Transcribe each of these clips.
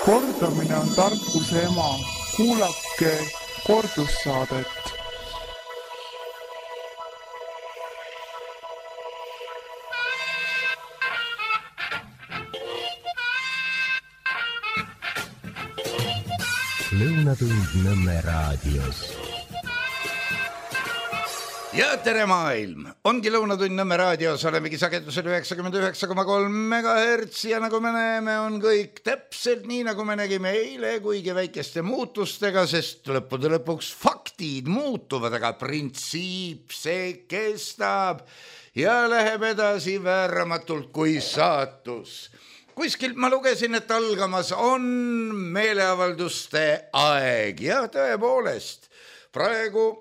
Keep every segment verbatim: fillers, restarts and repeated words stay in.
Kordamine on tarkuse ema. Kuulake kordussaadet. Lõunatund Nõmme raadios. Ja tere maailm! Ongi Lõunatund Nõmme raadios, olemegi sagedusel üheksakümmend üheksa koma kolm megahertsi ja nagu me näeme, on kõik täpselt nii, nagu me nägime eile, kuigi väikeste muutustega, sest lõppude lõpuks faktid muutuvad, aga printsiip see kestab ja läheb edasi vääramatult kui saatus. Kuskilt ma lugesin, et algamas on meeleavalduste aeg ja tõepoolest, praegu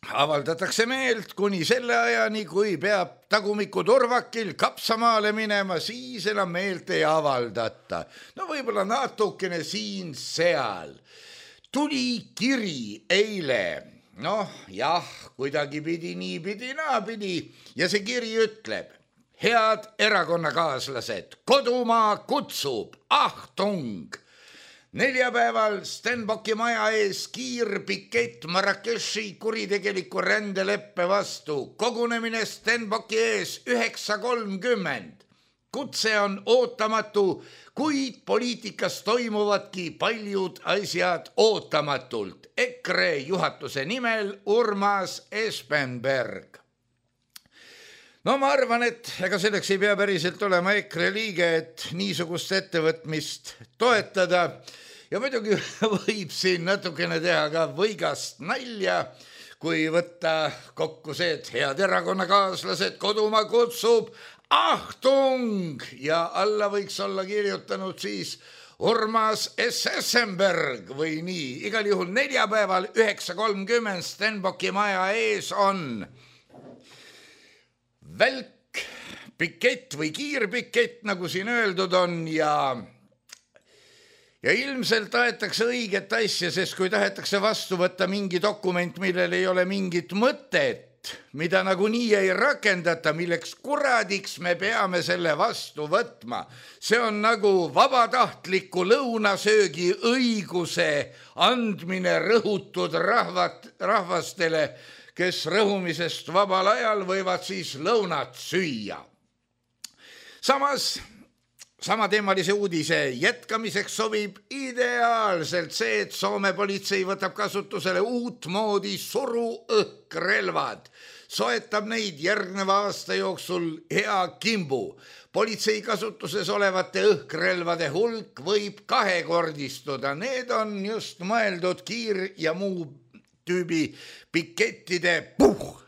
avaldatakse meelt kuni selle ajani, kui peab tagumiku turvakil Kapsamaale minema, siis enam meelt ei avaldata. No võib-olla natukene siin-seal. Tuli kiri eile, noh jah, kuidagi pidi, nii pidi, naa pidi ja see kiri ütleb: head erakonnakaaslased, kodumaa kutsub, ahtung! Neljapäeval Stenbocki maja ees kiirpikett Marrakechi kuritegeliku rändeleppe vastu. Kogunemine Stenbocki ees üheksa kolmkümmend. Kutse on ootamatu, kuid poliitikas toimuvadki paljud asjad ootamatult. EKRE juhatuse nimel Urmas Espenberg. No ma arvan, et ega selleks ei pea päriselt olema EKRE liige, et niisugust ettevõtmist toetada. Ja muidugi võib siin natukene teha ka võigast nalja, kui võtta kokku see, et head erakonnakaaslased, kodumaa kutsub, ahtung! Ja alla võiks olla kirjutanud siis Urmas Espenberg või nii. Igal juhul neljapäeval üheksa kolmkümmend Stenbocki maja ees on välk, pikett või kiirpikett, nagu siin öeldud on, ja, ja ilmselt aetakse õiget asja, sest kui tahetakse vastu võtta mingi dokument, millel ei ole mingit mõtet, mida nagu nii ei rakendata, milleks kuradiks me peame selle vastu võtma. See on nagu vabatahtliku lõunasöögi õiguse andmine rõhutud rahvat, rahvastele, kes rõhumisest vabal ajal võivad siis lõunat süüa. Samas, samateemalise uudise jätkamiseks sobib ideaalselt see, et Soome politsei võtab kasutusele uut moodi suruõhkrelvad. Soetab neid järgneva aasta jooksul hea kimbu. Politsei kasutuses olevate õhkrelvade hulk võib kahekordistuda. Need on just mõeldud kiir- ja muu tüübi pikettide puh,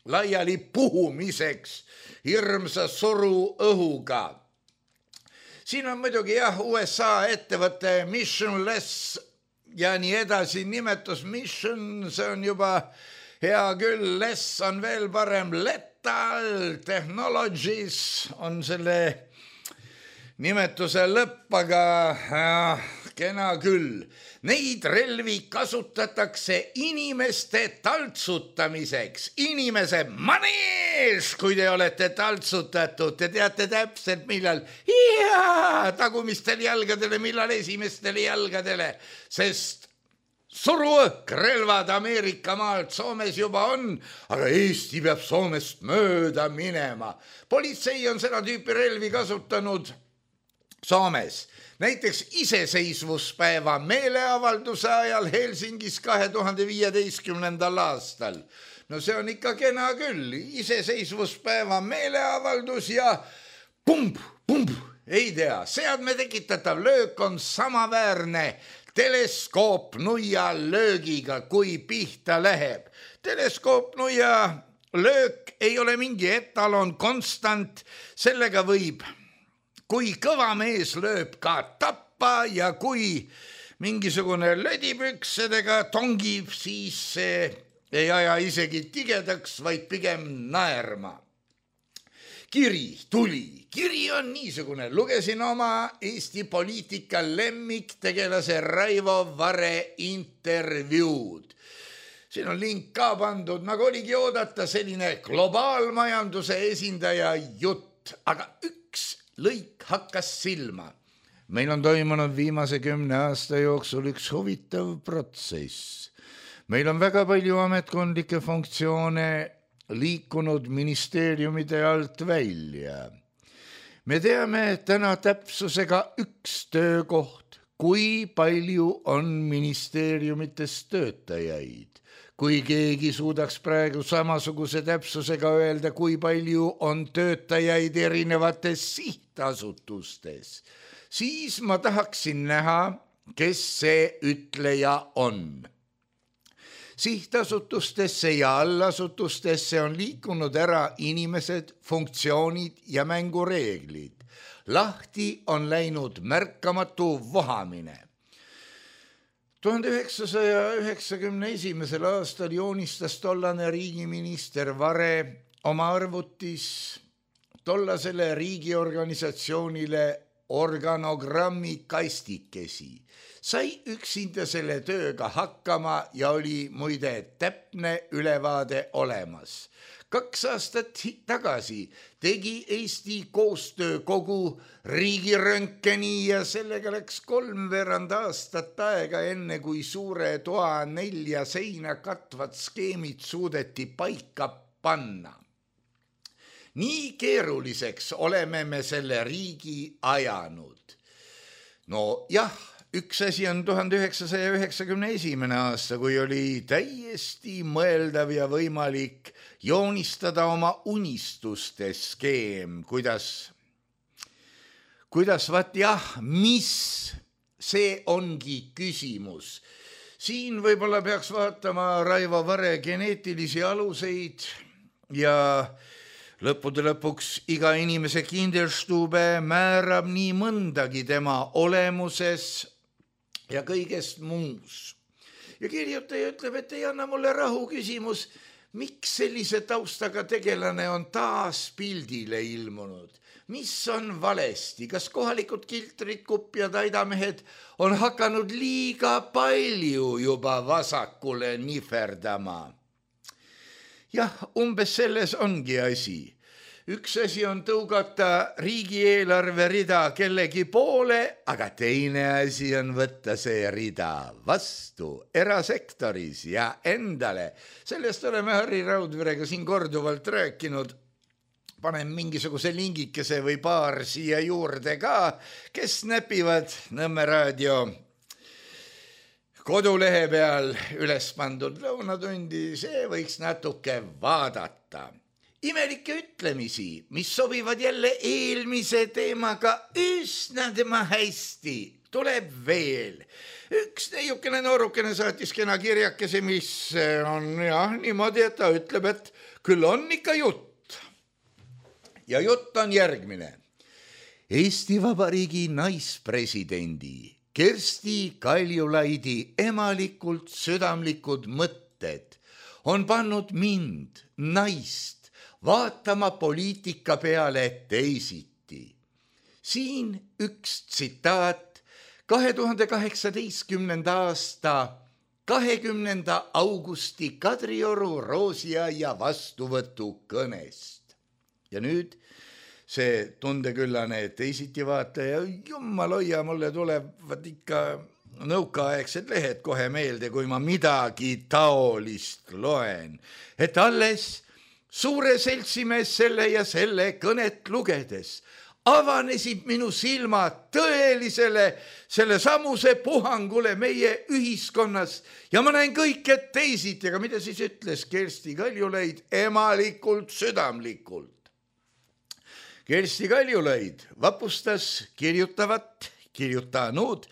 laiali puhumiseks hirmsa suru õhuga. Siin on muidugi jah, U S A ettevõte Missionless ja nii edasi nimetus Mission, see on juba hea küll, Less on veel parem, Lethal Technologies on selle nimetuse lõpp, aga äh, kena küll. Neid relvi kasutatakse inimeste taltsutamiseks. Inimese manees, kui te olete taltsutatud. Te teate täpselt millal ja, tagumistel jalgadele, millal esimestele jalgadele. Sest suruõhkrelvad Ameerika maalt Soomes juba on, aga Eesti peab Soomest mööda minema. Politsei on seda tüüpi relvi kasutanud Soomes. Näiteks iseseisvuspäeva meeleavalduse ajal Helsingis kahe tuhande viieteistkümnendal aastal. No see on ikka kena küll, iseseisvuspäeva meeleavaldus ja pump, pump, ei tea, seadme tekitatav löök on samaväärne teleskoopnuia löögiga, kui pihta läheb. Teleskoopnuia löök ei ole mingi etalon konstant, sellega võib kui kõva mees lööb ka tappa ja kui mingisugune lödipüksedega tongib, siis see ei aja isegi tigedaks, vaid pigem naerma. Kiri tuli. Kiri on niisugune. Lugesin oma Eesti poliitika lemmiktegelase Raivo Vare intervjuud. Siin on link ka pandud, nagu oligi oodata selline globaalmajanduse esindaja jutt, aga üks lõik hakkas silma. Meil on toimunud viimase kümne aasta jooksul üks huvitav protsess. Meil on väga palju ametkondlikke funktsioone liikunud ministeeriumide alt välja. Me teame täna täpsusega üks töökoht, kui palju on ministeeriumites töötajaid. Kui keegi suudaks praegu samasuguse täpsusega öelda, kui palju on töötajaid erinevates sihtasutustes, siis ma tahaksin näha, kes see ütleja on. Sihtasutustesse ja allasutustesse on liikunud ära inimesed, funktsioonid ja mängureeglid. Lahti on läinud märkamatu vohamine. tuhande üheksasaja üheksakümne esimesel aastal joonistas tollane riigiminister Vare oma arvutis tollasele riigiorganisatsioonile organogrammi kastikesi. Sai üksinda selle tööga hakkama ja oli muide täpne ülevaade olemas. Kaks aastat tagasi tegi Eesti koostöökogu riigiröntgeni ja sellega läks kolmveerand aastat aega enne, kui suure toa nelja seina katvad skeemid suudeti paika panna. Nii keeruliseks oleme me selle riigi ajanud. No jah, üks asi on tuhande üheksasaja üheksakümne esimene aasta, kui oli täiesti mõeldav ja võimalik joonistada oma unistuste skeem, kuidas, kuidas vaat jah, mis see ongi küsimus. Siin võib-olla peaks vaatama Raivo Vare geneetilisi aluseid ja lõppude lõpuks iga inimese kinderstube määrab nii mõndagi tema olemuses ja kõigest muus. Ja kirjutaja ütleb, et ei anna mulle rahu küsimus, miks sellise taustaga tegelane on taas pildile ilmunud? Mis on valesti? Kas kohalikud kiltrid, kupjad, aidamehed on hakanud liiga palju juba vasakule niferdama? Jah, umbes selles ongi asi. Üks asi on tõugata riigieelarve rida kellegi poole, aga teine asi on võtta see rida vastu erasektoris ja endale. Sellest oleme Harri Raudverega siin korduvalt rääkinud. Panen mingisuguse lingikese või paar siia juurde ka, kes näpivad Nõmme raadio kodulehe peal üles pandud lõunatundi, see võiks natuke vaadata. Imelikke ütlemisi, mis sobivad jälle eelmise teemaga üsna tema hästi, tuleb veel. Üks neiukene noorukene saatis kena kirjakese, mis on jah, niimoodi, et ta ütleb, et küll on ikka jutt. Ja jutt on järgmine. Eesti Vabariigi naispresidendi Kersti Kaljulaidi emalikult südamlikud mõtted on pannud mind, naist, vaatama poliitika peale teisiti. Siin üks tsitaat kahe tuhande kaheksateistkümnenda aasta kahekümnenda augusti Kadrioru Roosiaia vastuvõtu kõnest. Ja nüüd see tundeküllane teisiti vaataja, jumal hoia, mulle tulevad ikka nõukaaegsed lehed kohe meelde, kui ma midagi taolist loen, et alles suure seltsimees selle ja selle kõnet lugedes avanesid minu silmad tõelisele selle samuse puhangule meie ühiskonnas ja ma näen kõike teisiti, aga mida siis ütles Kersti Kaljulaid emalikult südamlikult? Kersti Kaljulaid vapustas kirjutavat, kirjutanud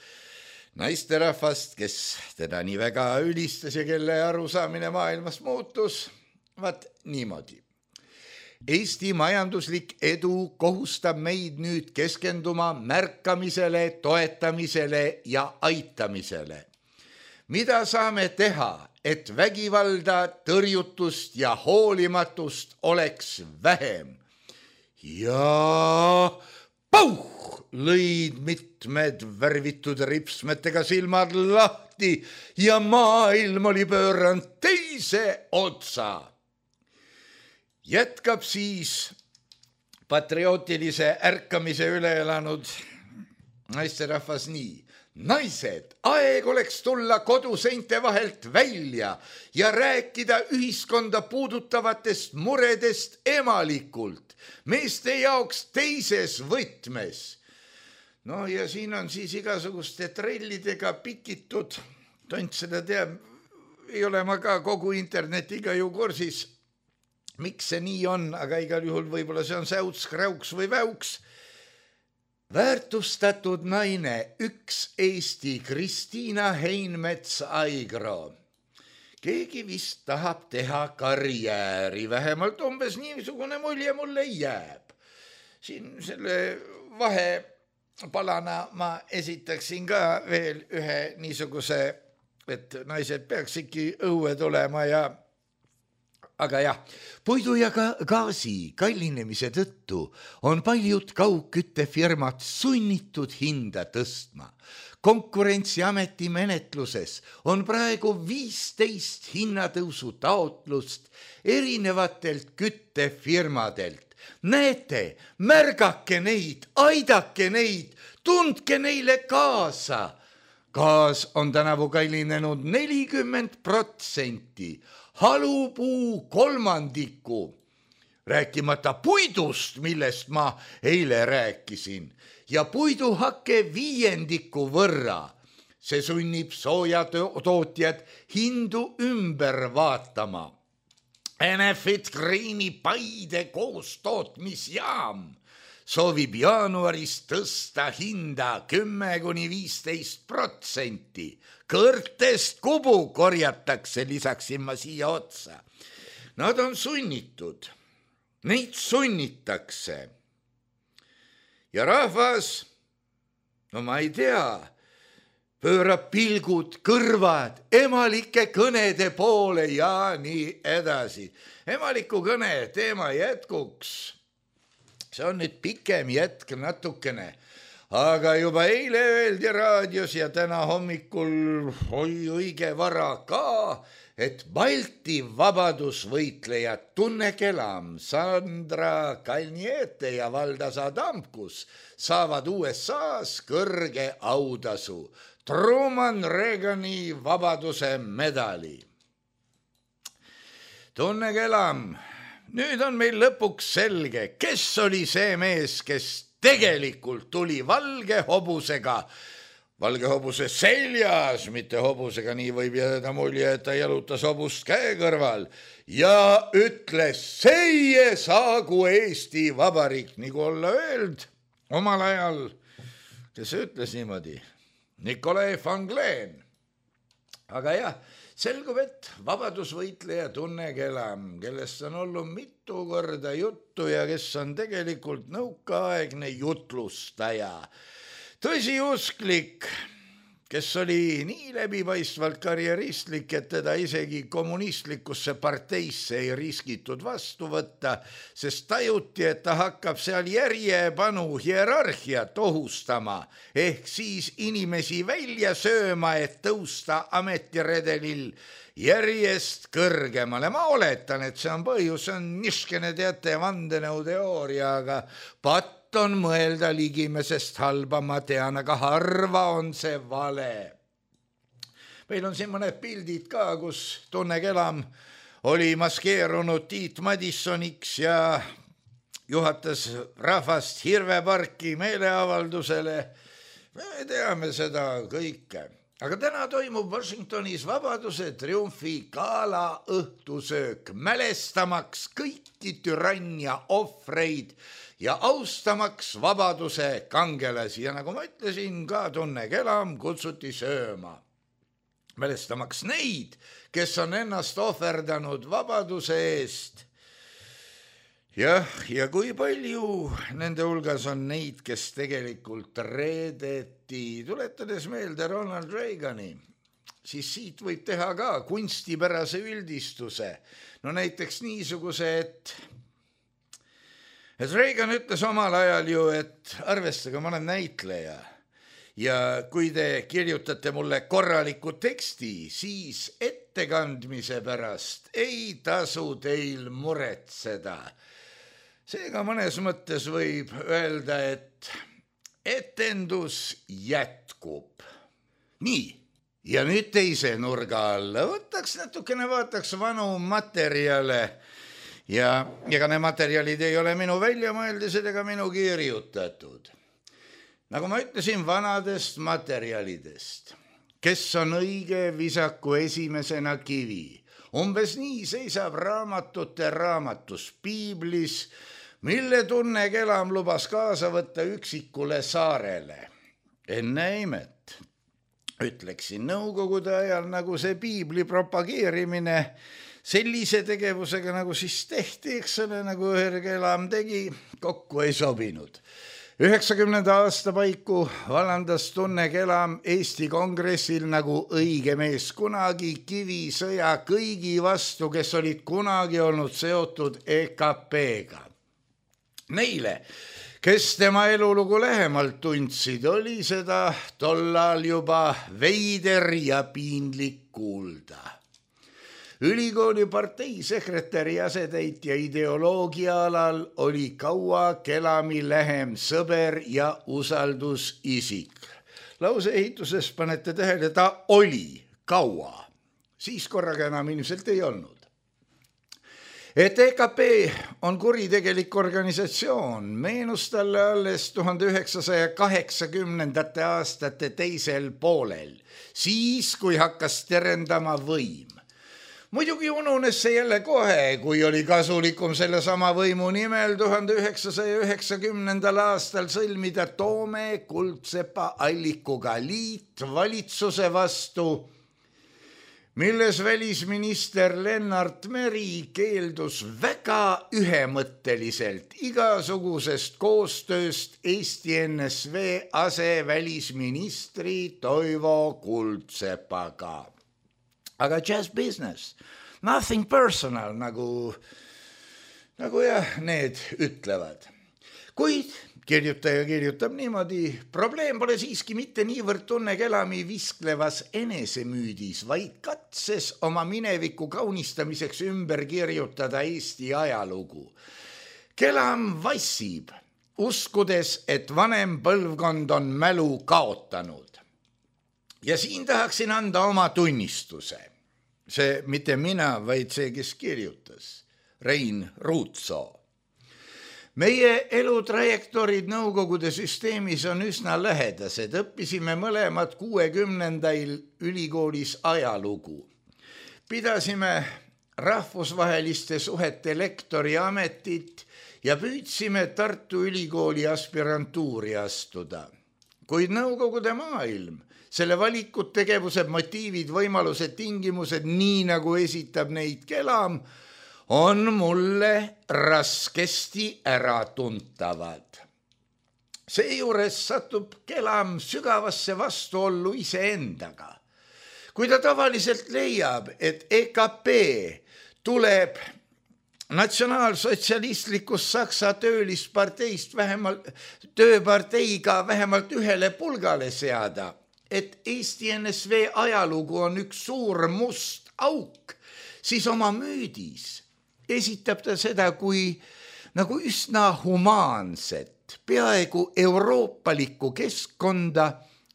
naisterahvast, kes teda nii väga ülistas ja kelle arusaamine maailmas muutus, vaat niimoodi. Eesti majanduslik edu kohustab meid nüüd keskenduma märkamisele, toetamisele ja aitamisele. Mida saame teha, et vägivalda, tõrjutust ja hoolimatust oleks vähem? Ja pauh, lõid mitmed värvitud ripsmetega silmad lahti ja maailm oli pööranud teise otsa. Jätkab siis patriootilise ärkamise üle elanud naisterahvas nii. Naised, aeg oleks tulla koduseinte vahelt välja ja rääkida ühiskonda puudutavatest muredest emalikult, meeste jaoks teises võtmes. No ja siin on siis igasuguste trellidega pikitud, tont seda teab, ei ole ma ka kogu internetiga ju kursis, miks see nii on, aga igal juhul võib-olla see on säuts, kräuks või väuks. Väärtustatud naine, üks Eesti Kristiina Heinmets-Aigro. Keegi vist tahab teha karjääri, vähemalt umbes niisugune mulje mulle jääb. Siin selle vahepalana ma esitaksin ka veel ühe niisuguse, et naised peaks ikka õue tulema ja aga jah, puidu ja ka gaasi kallinemise tõttu on paljud kaugküttefirmad sunnitud hinda tõstma. Konkurentsiameti menetluses on praegu viisteist hinnatõusu taotlust erinevatelt küttefirmadelt. Näete, märgake neid, aidake neid, tundke neile kaasa. Gaas on tänavu kallinenud nelikümmend protsenti. Halupuu kolmandiku, rääkimata puidust, millest ma eile rääkisin, ja puiduhakke viiendiku võrra. See sunnib soojatootjad hindu ümber vaatama. Enefit Greeni Paide koostootmisjaam soovib jaanuaris tõsta hinda kümme kuni viisteist protsenti. Kõrtest kubu korjatakse, lisaksin ma siia otsa. Nad on sunnitud, neid sunnitakse. Ja rahvas, no ma ei tea, pöörab pilgud, kõrvad, emalike kõnede poole ja nii edasi. Emaliku kõne teema jätkuks. See on nüüd pikem jätk natukene. Aga juba eile öeldi raadios ja täna hommikul oi õige vara ka, et Balti vabadusvõitlejad Tunne Kelam, Sandra Kalniete ja Valdas Adamkus saavad U S A-s kõrge autasu, Truman Reagani vabaduse medali. Tunne Kelam, nüüd on meil lõpuks selge, kes oli see mees, kes tegelikult tuli valge hobusega, valge hobuse seljas, mitte hobusega, nii võib jääda mulje, et ta jalutas hobust käe kõrval ja ütles, seie saagu Eesti Vabariik, nagu olla öeld omal ajal, kes ütles niimoodi, Nikolai van Glen. Aga jah, selgub, et vabadusvõitleja Tunne Kelam, kellest on olnud mitu korda juttu ja kes on tegelikult nõukaaegne jutlustaja. Tõsiusklik, kes oli nii läbipaistvalt karjeristlik, et teda isegi kommunistlikusse parteisse ei riskitud vastu võtta, sest tajuti, et ta hakkab seal järjepanu hierarhiat ohustama, ehk siis inimesi välja sööma, et tõusta ametiredelil järjest kõrgemale. Ma oletan, et see on põhjus, see on niskene teate vandenõuteooria, aga pat on mõelda ligimesest halba, ma tean, aga harva on see vale. Meil on siin mõned pildid ka, kus Tunne Kelam oli maskeerunud Tiit Madissoniks ja juhatas rahvast Hirveparki meeleavaldusele. Me teame seda kõike. Aga täna toimub Washingtonis Vabaduse triumfi gala õhtusöök, mälestamaks kõiki türannia ohvreid ja austamaks vabaduse kangelasi. Ja nagu ma ütlesin, ka Tunne Kelam kutsuti sööma. Mälestamaks neid, kes on ennast ohverdanud vabaduse eest. Jah, ja kui palju nende hulgas on neid, kes tegelikult reedeti, tuletades meelde Ronald Reagani, siis siit võib teha ka kunstipärase üldistuse. No näiteks niisuguse, et et Reagan ütles omal ajal ju, et arvestage, ma olen näitleja ja kui te kirjutate mulle korraliku teksti, siis ettekandmise pärast ei tasu teil muretseda. Seega mõnes mõttes võib öelda, et, et etendus jätkub. Nii, ja nüüd teise nurga alla. Võtaks natukene, vaataks vanu materjale ja ega ne materjalid ei ole minu väljamõeldised ega minu kirjutatud. Nagu ma ütlesin, vanadest materjalidest. Kes on õige, visaku esimesena kivi. Umbes nii seisab raamatute raamatus Piiblis, mille Tunne Kelam lubas kaasa võtta üksikule saarele. Enne imet. Ütleksin nõukogude ajal, nagu see Piibli propageerimine sellise tegevusega, nagu siis tehti, eks ole, nagu Herr Kelam tegi, kokku ei sobinud. üheksakümnenda aasta paiku vallandas Tunne Kelam Eesti kongressil nagu õige mees kunagi kivisõja kõigi vastu, kes olid kunagi olnud seotud E K P-ga. Neile, kes tema elulugu lähemalt tundsid, oli seda tollal juba veider ja piinlik kuulda. Ülikooli parteisekretäri asetäitja ideoloogia alal oli kaua Kelami lähem sõber ja usaldusisik. Lause ehituses panete tähele, ta oli kaua. Siis korraga enam ilmselt ei olnud. Et E K P on kuritegelik organisatsioon, meenus talle alles tuhande üheksasaja kaheksakümnendate aastate teisel poolel, siis kui hakkas terendama võim. Muidugi ununes see jälle kohe, kui oli kasulikum selle sama võimu nimel tuhande üheksasaja üheksakümnendal aastal sõlmida Toome Kuldsepa Allikuga liit valitsuse vastu, milles välisminister Lennart Meri keeldus väga ühemõtteliselt igasugusest koostööst Eesti N S V asevälisministri Toivo Kuldsepaga. Aga just business, nothing personal, nagu, nagu jah, need ütlevad. Kuid kirjutaja kirjutab niimoodi, probleem pole siiski mitte niivõrd Tunne Kelami visklevas enesemüüdis, vaid katses oma mineviku kaunistamiseks ümber kirjutada Eesti ajalugu. Kelam vassib, uskudes, et vanem põlvkond on mälu kaotanud. Ja siin tahaksin anda oma tunnistuse. See mitte mina, vaid see, kes kirjutas. Rein Ruutsoo. Meie elutrajektoorid nõukogude süsteemis on üsna lähedased. Õppisime mõlemad kuuekümnendail ülikoolis ajalugu. Pidasime rahvusvaheliste suhete lektori ametit ja püüdsime Tartu Ülikooli aspirantuuri astuda. Kuid nõukogude maailm, selle valikud, tegevused, motiivid, võimalused, tingimused, nii nagu esitab neid Kelam, on mulle raskesti äratuntavad. Seejuures satub Kelam sügavasse vastuollu iseendaga. Kui ta tavaliselt leiab, et E K P tuleb natsionaalsotsialistlikus Saksa töölisparteist vähemalt, tööparteiga vähemalt ühele pulgale seada, et Eesti N S V ajalugu on üks suur must auk, siis oma müüdis esitab ta seda kui nagu üsna humaanset, peaaegu euroopalikku keskkonda,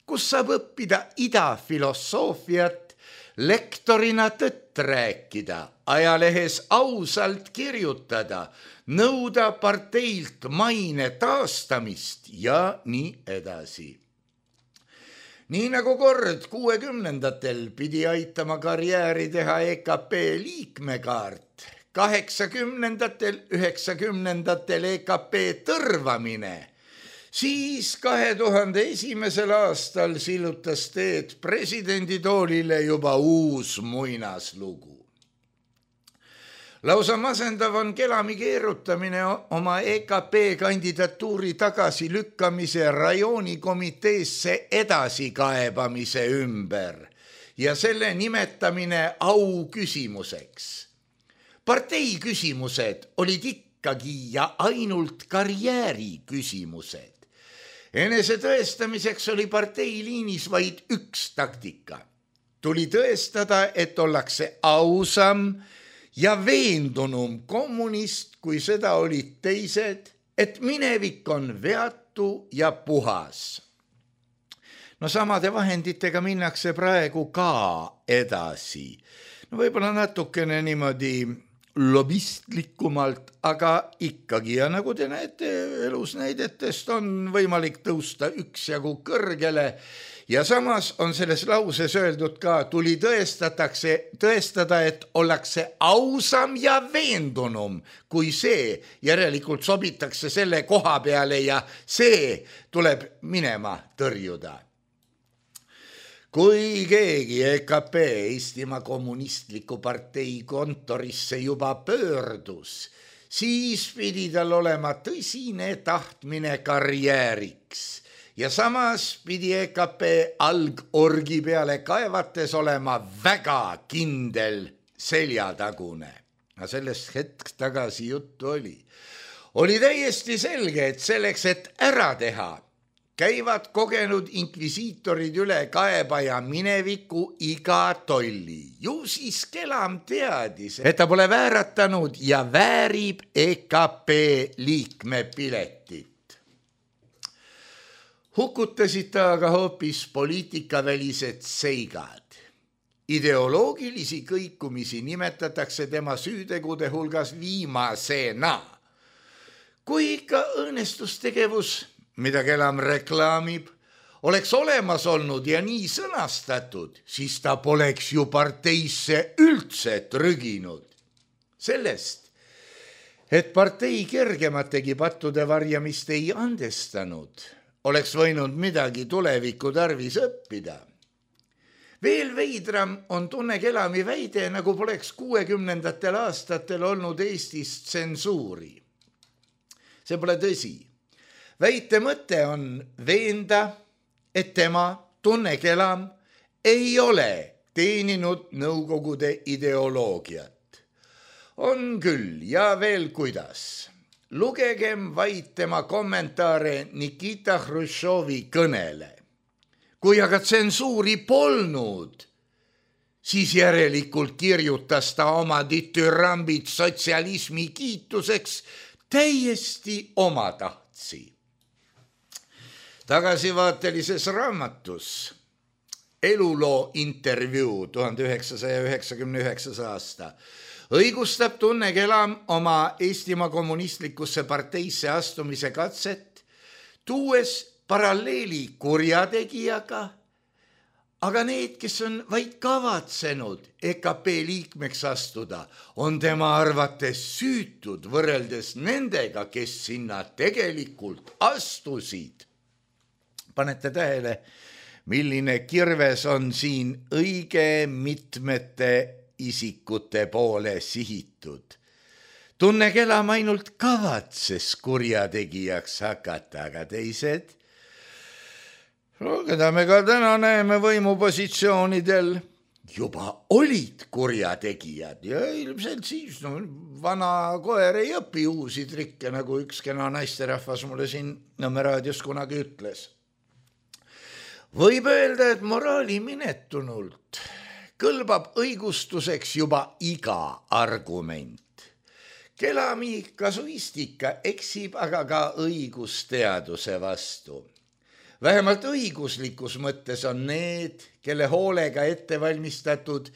kus saab õppida idafilosoofiat, lektorina tõtt rääkida, ajalehes ausalt kirjutada, nõuda parteilt maine taastamist ja nii edasi. Nii nagu kord kuuekümnendatel pidi aitama karjääri teha E K P liikmekaart, kaheksakümnendatel, üheksakümnendatel E K P tõrvamine, siis kahe tuhande esimesel aastal sillutas teed presidenditoolile juba uus muinaslugu. Lausa masendav on Kelami keerutamine oma E K P kandidatuuri tagasi lükkamise rajoonikomiteesse edasikaebamise ümber ja selle nimetamine au küsimuseks. Partei küsimused olid ikkagi ja ainult karjääri küsimused. Enese tõestamiseks oli partei liinis vaid üks taktika. Tuli tõestada, et ollakse ausam ja veendunum kommunist, kui seda olid teised, et minevik on veatu ja puhas. no samade vahenditega minnakse praegu ka edasi. No võib-olla natukene niimoodi lobistlikumalt, aga ikkagi ja nagu te näete elus näidetest on võimalik tõusta üksjagu kõrgele ja samas on selles lauses öeldud ka, tuli tõestatakse, tõestada, et ollakse ausam ja veendunum kui see, järelikult sobitakse selle koha peale ja see tuleb minema tõrjuda. Kui keegi E K P Eestimaa kommunistliku partei kontorisse juba pöördus, siis pidi tal olema tõsine tahtmine karjääriks ja samas pidi E K P algorgi peale kaevates olema väga kindel seljatagune. Ja sellest hetk tagasi juttu oli. Oli täiesti selge, et selleks, et ära teha, käivad kogenud inkvisiitorid üle kaebaja mineviku iga tolli. Ju siis Kelam teadis, et ta pole vääratanud ja väärib E K P liikme piletit. Hukutasid ta aga hoopis poliitikavälised seigad. Ideoloogilisi kõikumisi nimetatakse tema süütegude hulgas viimasena. Kui ikka õõnestustegevus, mida Kelam reklaamib, oleks olemas olnud ja nii sõnastatud, siis ta poleks ju parteisse üldse trüginud. Sellest, et partei kergemategi pattude varjamist ei andestanud, oleks võinud midagi tuleviku tarvis õppida. Veel veidram on Tunne Kelami väide, nagu poleks kuuekümnendatel aastatel olnud Eestis tsensuuri. See pole tõsi. Väite mõte on veenda, et tema, Tunne Kelam, ei ole teeninud nõukogude ideoloogiat. On küll ja veel kuidas. Lugegem vaid tema kommentaare Nikita Hruštšovi kõnele. Kui aga tsensuuri polnud, siis järelikult kirjutas ta oma ditürambid sotsialismi kiituseks täiesti omatahtsi. Tagasivaatelises raamatus Eluloo intervjuu tuhande üheksasaja üheksakümne üheksas aasta õigustab Tunne Kelam oma Eestimaa kommunistlikusse parteisse astumise katset, tuues paralleeli kurjategijaga, aga need, kes on vaid kavatsenud E K P liikmeks astuda, on tema arvates süütud võrreldes nendega, kes sinna tegelikult astusid. Panete tähele, milline kirves on siin õige mitmete isikute poole sihitud. Tunne Kelam ainult kavatses kurjategijaks hakata, aga teised, no, keda me ka täna näeme võimupositsioonidel, juba olid kurjategijad ja ilmselt siis no, vana koer ei õpi uusi trikke, nagu üks kena naisterahvas mulle siin Nõmme raadios kunagi ütles. Võib öelda, et moraali minetunult kõlbab õigustuseks juba iga argument. Kelami kasuistika eksib aga ka õigusteaduse vastu. Vähemalt õiguslikus mõttes on need, kelle hoolega ettevalmistatud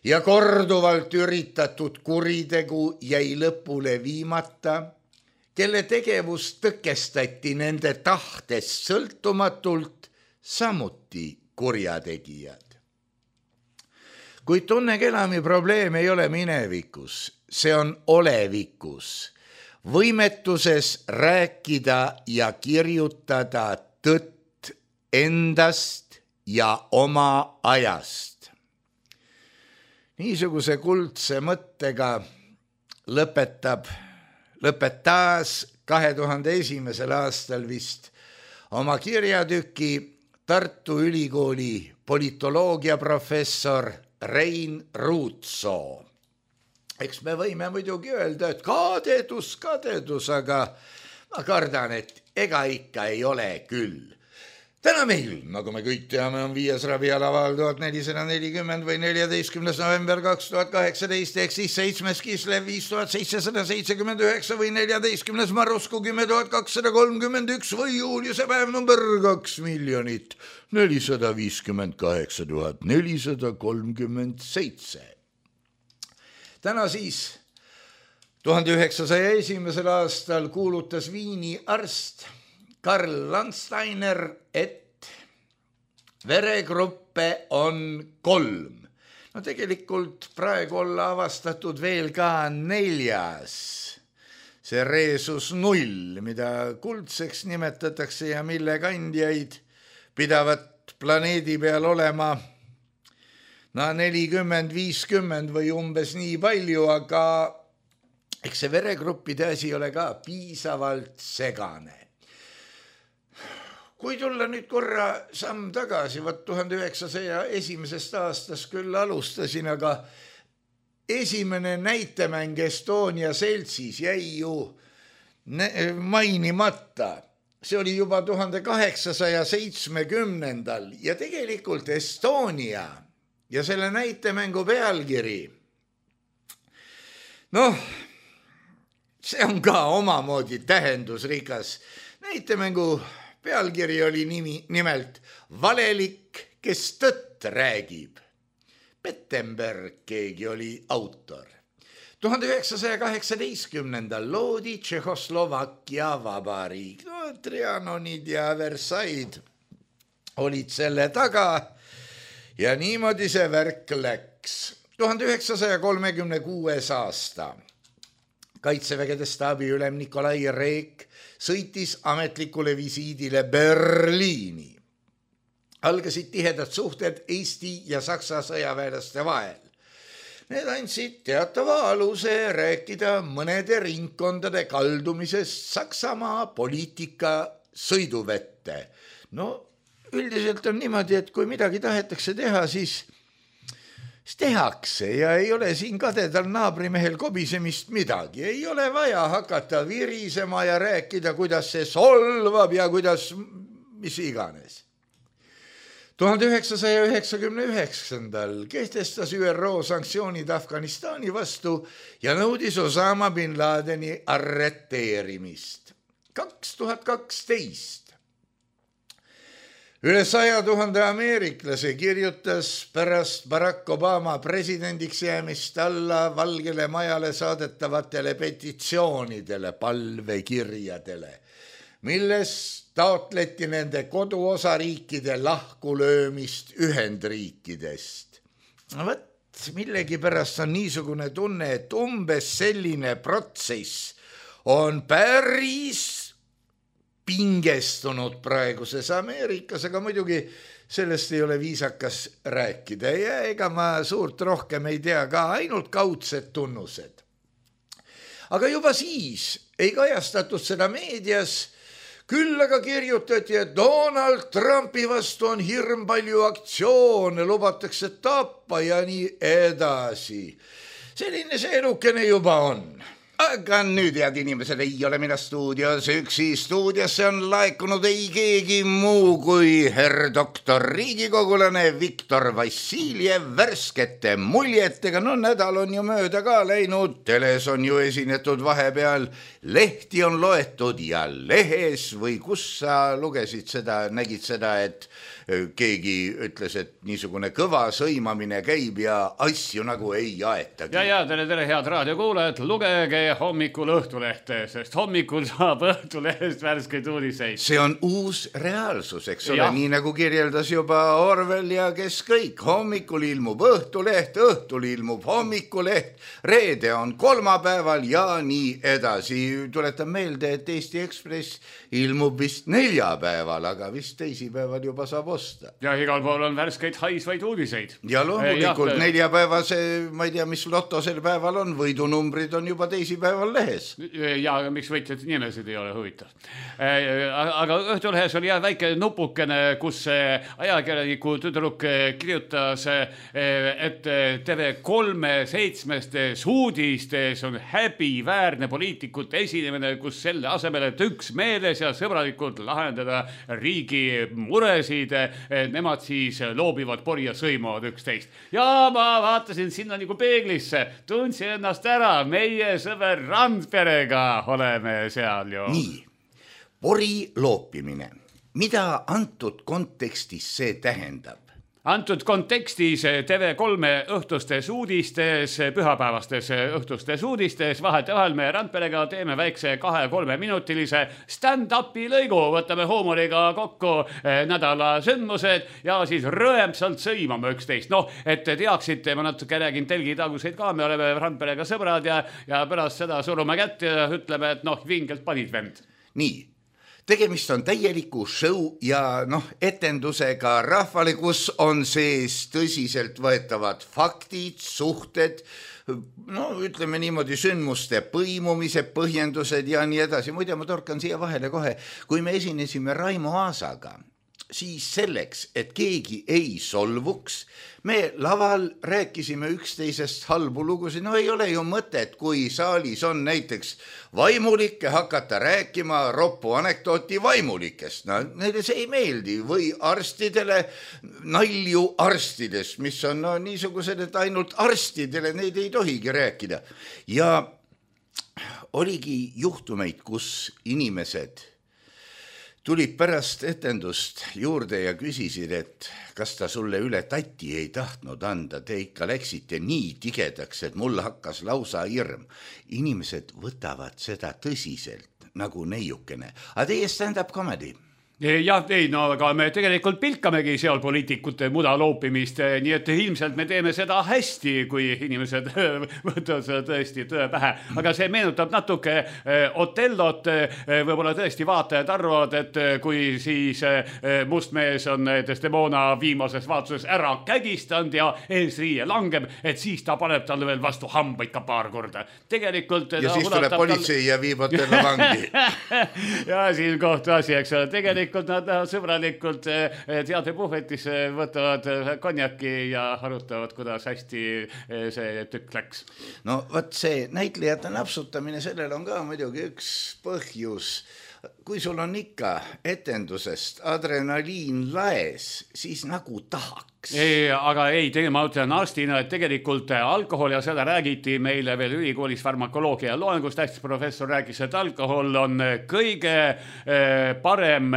ja korduvalt üritatud kuritegu jäi lõpule viimata, kelle tegevus tõkestati nende tahtest sõltumatult, samuti kurjategijad. Kuid Tunne Kelami probleem ei ole minevikus, see on olevikus, võimetuses rääkida ja kirjutada tõtt endast ja oma ajast. Niisuguse kuldse mõttega lõpetab, lõpetas kahe tuhande esimesel aastal vist oma kirjatüki Tartu Ülikooli politoloogia professor Rein Ruutsoo. Eks me võime muidugi öelda, et kadedus, kadedus, aga ma kardan, et ega ikka ei ole küll. Täna meil, nagu me kõik teame, on viies rabialaval tuhat nelisada nelikümmend või neljateistkümnes november kaks tuhat kaheksateist ehk siis seitsmes Kislev viis tuhat seitsesada seitsekümmend üheksa või neljateistkümnes Marusku kümme tuhat kakssada kolmkümmend üks või juuliuse päev number kaks miljonit nelisada viiskümmend kaheksa tuhat nelisada kolmkümmend seitse. Täna siis tuhande üheksasaja esimesel aastal kuulutas Viini arst Karl Landsteiner, et veregruppe on kolm. No tegelikult praegu olla avastatud veel ka neljas. See reesus null, mida kuldseks nimetatakse ja mille kandjaid pidavat planeedi peal olema no nelikümmend viiskümmend või umbes nii palju, aga eks see veregruppide asi ole ka piisavalt segane. Kui tulla nüüd korra samm tagasi, võt tuhande üheksasaja esimesest aastast küll alustasin, aga esimene näitemäng Estonia seltsis jäi ju mainimata. See oli juba tuhande kaheksasaja seitsmekümnendal ja tegelikult Estonia ja selle näitemängu pealkiri. Noh, see on ka omamoodi tähendusrikas. Näitemängu pealkiri oli nimi, nimelt Valelik, kes tõtt räägib. Pettenberg keegi oli autor. tuhande üheksasaja kaheksateistkümnendal loodi Tšehhoslovakkia vabariik. No, Trianonid ja Versailles olid selle taga ja niimoodi see värk läks. tuhande üheksasaja kolmekümne kuues aasta. Kaitsevägede staabiülem Nikolai Reek sõitis ametlikule visiidile Berliini. Algasid tihedad suhted Eesti ja Saksa sõjaväelaste vahel. Need andsid teatava aluse rääkida mõnede ringkondade kaldumisest Saksamaa poliitika sõiduvette. No üldiselt on niimoodi, et kui midagi tahetakse teha, siis tehakse ja ei ole siin kadedal naabrimehel kobisemist midagi. Ei ole vaja hakata virisema ja rääkida, kuidas see solvab ja kuidas mis iganes. tuhande üheksasaja üheksakümne üheksandal kehtestas Ü R O sanktsioonid Afganistani vastu ja nõudis Osama bin Ladeni arreteerimist. kaks tuhat kaksteist üle saja tuhande ameeriklase kirjutas pärast Barack Obama presidendiks jäämist alla Valgele Majale saadetavatele petitsioonidele, palvekirjadele, milles taotleti nende koduosariikide lahkulöömist Ühendriikidest. Võt, millegi pärast on niisugune tunne, et umbes selline protsess on päris pingestunud praeguses Ameerikas, aga muidugi sellest ei ole viisakas rääkida ja ega ma suurt rohkem ei tea, ka ainult kaudsed tunnused. Aga juba siis ei kajastatud seda meedias, küll aga kirjutati, et Donald Trumpi vastu on hirm palju aktsioone, lubatakse tappa ja nii edasi. Selline see elukene juba on. Aga nüüd, head inimesed, ei ole mina stuudios üksi. Stuudiosse on laekunud ei keegi muu kui herr doktor riigikogulane Viktor Vassiljev värskete muljetega. No nädal on ju mööda ka läinud, teles on ju esinetud vahepeal, lehti on loetud ja lehes või kus sa lugesid seda, nägid seda, et keegi ütles, et niisugune kõva sõimamine käib ja asju nagu ei aetagi. Ja, ja, tere, tere, head raadiokuulajad, lugege hommikul Õhtulehte, sest hommikul saab Õhtulehest värskeid uudiseid. See on uus reaalsus, eks ole, nii nagu kirjeldas juba Orwell ja kes kõik. Hommikul ilmub Õhtuleht, õhtul ilmub hommikuleht, reede on kolmapäeval ja nii edasi. Tuletan meelde, et Eesti Ekspress ilmub vist neljapäeval, aga vist teisipäeval juba saab osta. Ja igal pool on värskeid haisvaid uudiseid. Ja loomulikult neljapäevase, ma ei tea, mis loto sel päeval on, võidunumbrid on juba teisipäeval teisipäeval lehes. Ja miks võitjad nimesid ei ole huvitav. Aga Õhtulehes oli jah väike nupukene, kus ajakirjaniku tüdruk kirjutas, et T V kolme seitsmestes uudistes on häbiväärne poliitikute esinemine, kus selle asemel, et üks meeles ja sõbralikult lahendada riigi muresid, nemad siis loobivad pori ja sõimavad üksteist. Ja ma vaatasin sinna nagu peeglisse, tundsin ennast ära, meie sõber Randperega oleme seal ju. Nii, pori loopimine. Mida antud kontekstis see tähendab? Antud kontekstis T V kolme õhtustes uudistes, pühapäevastes õhtustes uudistes, vahet ja vahel me Randperega teeme väikse kahe-kolme minutilise stand-upi lõigu, võtame huumoriga kokku nädala sündmused ja siis rõemsalt sõimame üksteist. Noh, et teaksite, ma natuke räägin telgitaguseid ka, me oleme Randperega sõbrad ja, ja pärast seda surume kätt ja ütleme, et noh, vingelt panid vend. Nii. Tegemist on täieliku show ja noh, etendusega rahvale, kus on sees tõsiselt võetavad faktid, suhted, no ütleme niimoodi sündmuste põimumise põhjendused ja nii edasi. Muide, ma torkan siia vahele kohe, kui me esinesime Raimo Aasaga, siis selleks, et keegi ei solvuks, me laval rääkisime üksteisest halbu lugusid. No ei ole ju mõtet, kui saalis on näiteks vaimulikke hakata rääkima roppu anekdooti vaimulikest. No, neile see ei meeldi või arstidele nalju arstidest, mis on no, niisugused, et ainult arstidele neid ei tohigi rääkida. Ja oligi juhtumeid, kus inimesed tulid pärast etendust juurde ja küsisid, et kas ta sulle üle tatti ei tahtnud anda, te ikka läksite nii tigedaks, et mul hakkas lausa hirm. Inimesed võtavad seda tõsiselt nagu neiukene. Aga teie stand-up comedy? Jah, ei, no aga me tegelikult pilkamegi seal poliitikute muda loopimist, nii et ilmselt me teeme seda hästi, kui inimesed võtavad seda tõesti tõe pähe. Aga see meenutab natuke Otellot, võib-olla tõesti vaatajad arvavad, et kui siis mustmees on Desdemona viimases vaatuses ära kägistanud ja eesriie langeb, et siis ta paneb talle veel vastu hambaid ka paar korda. Tegelikult ja siis tuleb politsei tal... ja viib Otello vangi. Ja siin kohtu asi, eks ole, tegelikult nad sõbralikult teatepuhvetis võtavad konjaki ja arutavad, kuidas hästi see tükk läks. No võt see näitlejate napsutamine, sellel on ka muidugi üks põhjus. Kui sul on ikka etendusest adrenaliin laes, siis nagu tahaks. Ei, aga ei, tege, ma ütlen arstina, et tegelikult alkohol ja seda räägiti meile veel ülikoolis farmakoloogia loengus. Tähtis professor rääkis, et alkohol on kõige parem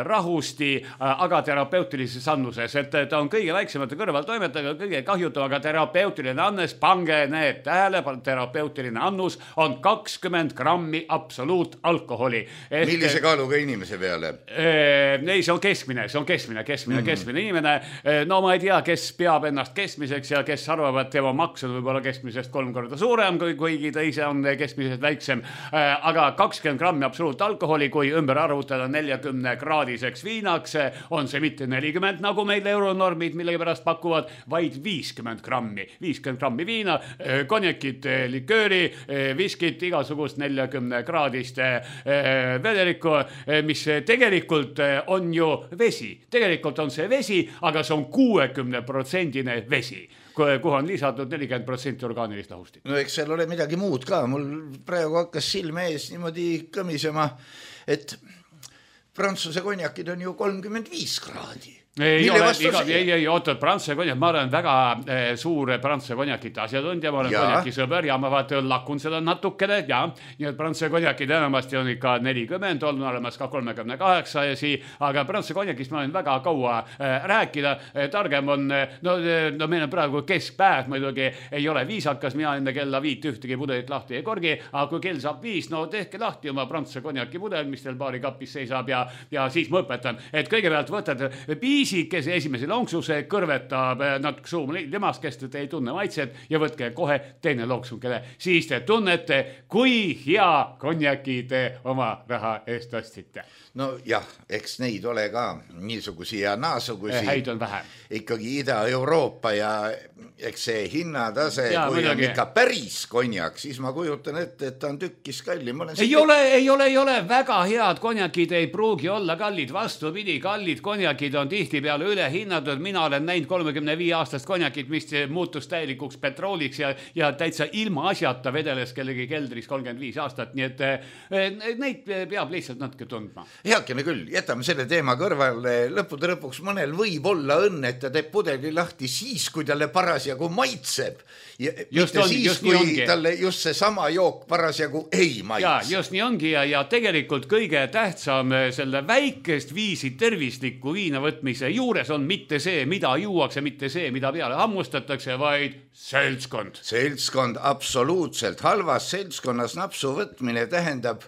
rahusti, aga terapeutilises annuses. Et ta on kõige väiksemate kõrvaltoimetega, kõige kahjutu, aga terapeutiline annes, pange need tähele, terapeutiline annus on kakskümmend grammi absoluut alkoholi. Ehk, millise kaaluga inimese peale? Ei, see on keskmine, see on keskmine, keskmine, mm-hmm. keskmine inimene. No ma ei tea, kes peab ennast keskmiseks ja kes arvab, et tema maks on võib-olla keskmisest kolm korda suurem, kui kuigi ta ise on keskmisest väiksem. Aga kakskümmend grammi absoluut alkoholi, kui ümber arvutada neljakümne kraadiseks viinaks, on see mitte nelikümmend, nagu meil euronormid millegi pärast pakuvad, vaid viiskümmend grammi. viiskümmend grammi viina, konjakit, likööri, viskit, igasugust neljakümne kraadist vedelikku, mis tegelikult on ju vesi. Tegelikult on see vesi, aga see on kuuekümne protsendine vesi, kuhu on lisatud nelikümmend protsenti orgaanilist lahustit. No eks seal ole midagi muud ka. Mul praegu hakkas silme ees niimoodi kõmisema, et prantsuse konjakid on ju kolmkümmend viis kraadi. Ei, ole, iga, ei, ei, oota, prantsuse konjak, ma olen väga eh, suur prantsuse konjakite asjatundja, ma olen ja. konjaki sõber ja ma vaata lakun seda natukene, ja, nii et prantsuse konjakid enamasti on ikka nelikümmend, on olemas ka kolmekümne kaheksa ja sii, aga prantsuse konjakist ma olen väga kaua eh, rääkida, eh, targem on, no, no meil on praegu keskpäev, muidugi ei ole viisakas, mina enne kella viit ühtegi pudelit lahti ei korgi, aga kui kell saab viis, no tehke lahti oma prantsuse konjaki pudel, mis teil baari kapis seisab ja, ja siis ma õpetan, et kõigepealt võtad piis pisikese esimese lonksuse, kõrvetab natuke suum limaskest, et ei tunne maitset ja võtke kohe teine lonksukene. Siis te tunnete, kui hea konjaki te oma raha eest ostsite. No jah, eks neid ole ka niisugusi ja naasugusi. Häid on vähem. Ikkagi Ida-Euroopa ja eks see hinnatase, ja, kui midagi. on ikka päris konjak, siis ma kujutan ette, et ta on tükkis kallim. Ei siit... ole, ei ole, ei ole. Väga head konjakid ei pruugi olla kallid. Vastupidi, kallid konjakid on tihti peale üle hinnatud. Mina olen näinud kolmekümne viie aastast konjakit, mis muutus täielikuks petrooliks ja, ja täitsa ilma asjata vedeles kellegi keldris kolmkümmend viis aastat. Nii et eh, neid peab lihtsalt natuke tundma. Heakene küll, jätame selle teema kõrvale. Lõppude lõpuks mõnel võib olla õnn, et ta teeb pudeli lahti siis, kui talle parasjagu maitseb. Ja just mitte on, siis, just kui talle just see sama jook parasjagu ei maitse. Ja, just nii ongi ja, ja tegelikult kõige tähtsam selle väikest viisi tervisliku viina võtmise juures on mitte see, mida juuakse, mitte see, mida peale hammustatakse, vaid seltskond. Seltskond absoluutselt. Halvas seltskonnas napsu võtmine tähendab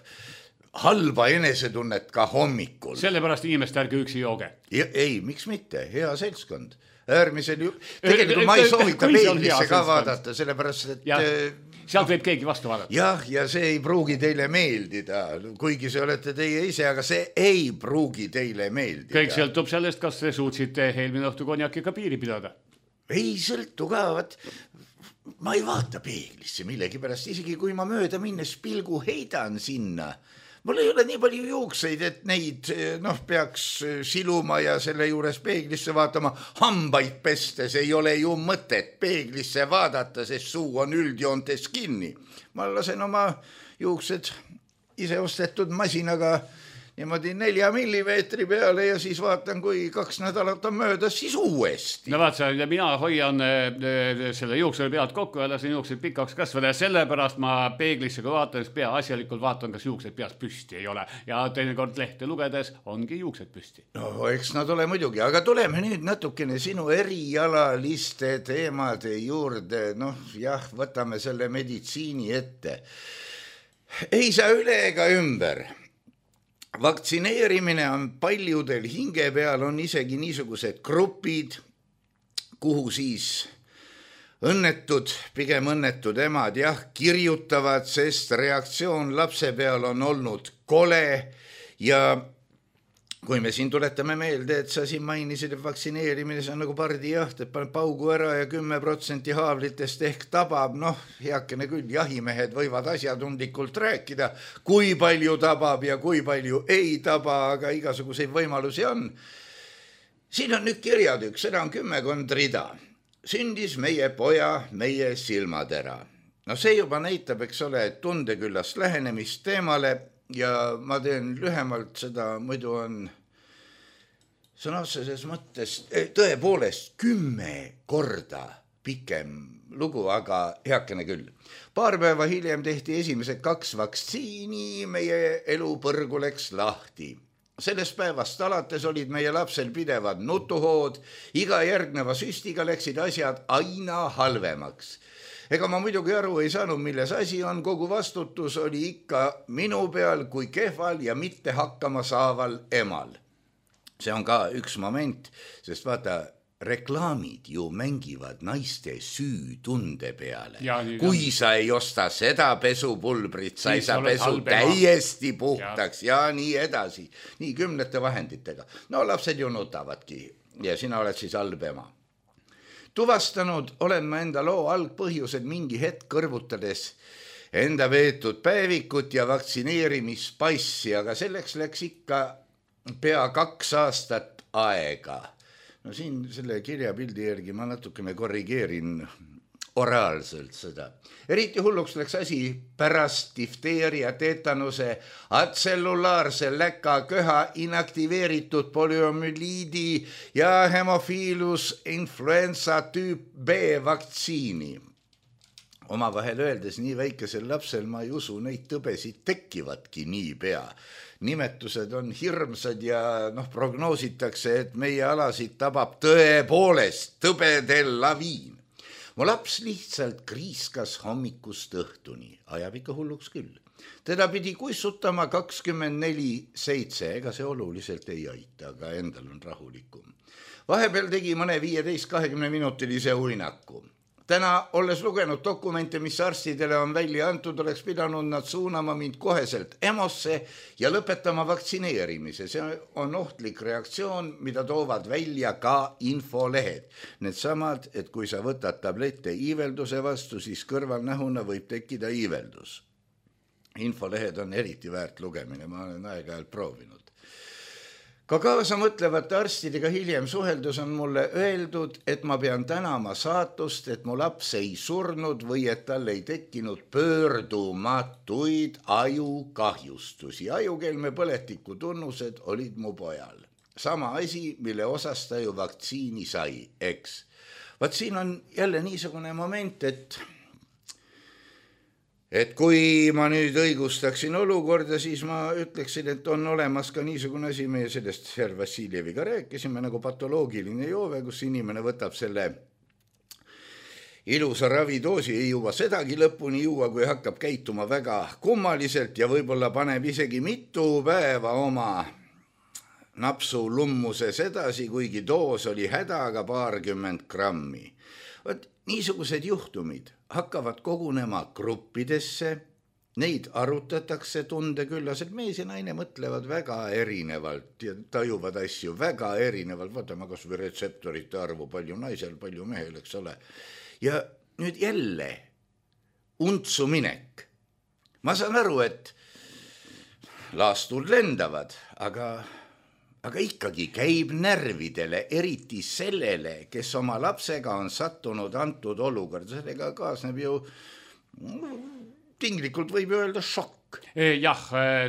halba enesetunnet ka hommikul. Sellepärast inimest ärge üksi jooge. Ja, ei, miks mitte? Hea seltskond. Äärmisel ju... Tegelikult ma ei soovita peeglisse ka vaadata, sellepärast, et... Ja, sealt võib keegi vastu vaadata. Jah, ja see ei pruugi teile meeldida, kuigi see olete teie ise, aga see ei pruugi teile meeldida. Kõik sõltub sellest, kas te suutsite eelmine õhtu konjakiga piiri pidada. Ei sõltu ka, vaat... Ma ei vaata peeglisse millegi pärast, isegi kui ma mööda minnes pilgu heidan sinna... Mul ei ole nii palju juukseid, et neid noh, peaks siluma ja selle juures peeglisse vaatama. Hambaid pestes ei ole ju mõtet peeglisse vaadata, sest suu on üldjoontes kinni. Ma lasen oma juuksed ise ostetud masinaga niimoodi nelja millimeetri peale ja siis vaatan, kui kaks nädalat on möödas, siis uuesti. No vaat, mina hoian selle juuksele pealt kokku ja lasen juuksed pikaks kasvada ja sellepärast ma peeglisse, kui vaatan, pea asjalikult vaatan, kas juuksed peast püsti ei ole. Ja teinekord lehte lugedes ongi juuksed püsti. No, eks nad ole muidugi, aga tuleme nüüd natukene sinu erialaliste teemade juurde. Noh, jah, võtame selle meditsiini ette. Ei saa üle ega ümber. Vaktsineerimine on paljudel hinge peal, on isegi niisugused grupid, kuhu siis õnnetud, pigem õnnetud emad jah, kirjutavad, sest reaktsioon lapse peal on olnud kole ja kui me siin tuletame meelde, et sa siin mainisid, et vaktsineerimine see on nagu pardijaht, et paneb paugu ära ja kümme protsenti haavlitest ehk tabab, noh, heakene küll, jahimehed võivad asjatundlikult rääkida, kui palju tabab ja kui palju ei taba, aga igasuguseid võimalusi on. Siin on nüüd kirjad üks, seda on kümmekond rida. Sündis meie poja, meie silmatera. No see juba näitab, eks ole, tundeküllast lähenemist teemale, ja ma teen lühemalt seda, muidu on sõna otseses mõttes tõepoolest kümme korda pikem lugu, aga heakene küll. Paar päeva hiljem tehti esimesed kaks vaktsiini, meie elu põrgu läks lahti. Sellest päevast alates olid meie lapsel pidevad nutuhood, iga järgneva süstiga läksid asjad aina halvemaks. Ega ma muidugi aru ei saanud, milles asi on, kogu vastutus oli ikka minu peal kui kehval ja mitte hakkama saaval emal. See on ka üks moment, sest vaata, reklaamid ju mängivad naiste süütunde peale. Kui sa ei osta seda pesupulbrit, sa ei saa pesu täiesti puhtaks ja. ja nii edasi. Nii kümnete vahenditega. No lapsed ju nutavadki ja sina oled siis halb ema. Tuvastanud olen ma enda loo algpõhjused mingi hetk kõrvutades enda veetud päevikut ja vaktsineerimispassi, aga selleks läks ikka pea kaks aastat aega. No siin selle kirjapildi järgi ma natukene korrigeerin oraalselt seda. Eriti hulluks läks asi pärast difteeria, tetanuse, atsellulaarse läka köha, inaktiveeritud poliomüliidi ja hemofiilus influenza tüüp B vaktsiini. Oma vahel öeldes nii väikesel lapsel ma ei usu, neid tõbesid tekkivatki nii pea. Nimetused on hirmsad ja noh, prognoositakse, et meie alasid tabab tõepoolest tõbedel laviin. Mu laps lihtsalt kriiskas hommikust õhtuni, ajab ikka hulluks küll. Teda pidi kuissutama kakskümmend neli seitse, ega see oluliselt ei aita, aga endal on rahulikum. Vahepeal tegi mõne viieteist kahekümne minutilise uinaku. Täna, olles lugenud dokumente, mis arstidele on välja antud, oleks pidanud nad suunama mind koheselt EMO-sse ja lõpetama vaktsineerimise. See on ohtlik reaktsioon, mida toovad välja ka infolehed. Need samad, et kui sa võtad tablette iivelduse vastu, siis kõrvalnähuna võib tekkida iiveldus. Infolehed on eriti väärt lugemine, ma olen aeg-ajalt proovinud. Ka kaasa mõtlevate arstidega hiljem suheldus on mulle öeldud, et ma pean tänama saatust, et mu laps ei surnud või et tal ei tekkinud pöördumatuid ajukahjustusi. Ajukelme põletiku tunnused olid mu pojal. Sama asi, mille osas ta ju vaktsiini sai, eks. Vaat siin on jälle niisugune moment, et Et kui ma nüüd õigustaksin olukorda, siis ma ütleksin, et on olemas ka niisugune asi, meie sellest Herr Vassiljeviga rääkisime, nagu patoloogiline joove, kus inimene võtab selle ilusa ravidoosi, ei jõua sedagi lõpuni juua, kui hakkab käituma väga kummaliselt ja võib-olla paneb isegi mitu päeva oma napsu lummuses edasi, kuigi doos oli hädaga paarkümmend grammi. Võt, niisugused juhtumid hakkavad kogunema gruppidesse, neid arutatakse tundeküllased, mees ja naine mõtlevad väga erinevalt ja tajuvad asju väga erinevalt, vaatame kas või retseptorite arvu, palju naisel, palju mehel, eks ole. Ja nüüd jälle untsu minek. Ma saan aru, et laastud lendavad, aga... Aga ikkagi käib närvidele, eriti sellele, kes oma lapsega on sattunud antud olukord. Sellega kaasneb ju, tinglikult võib öelda šokk. Jah,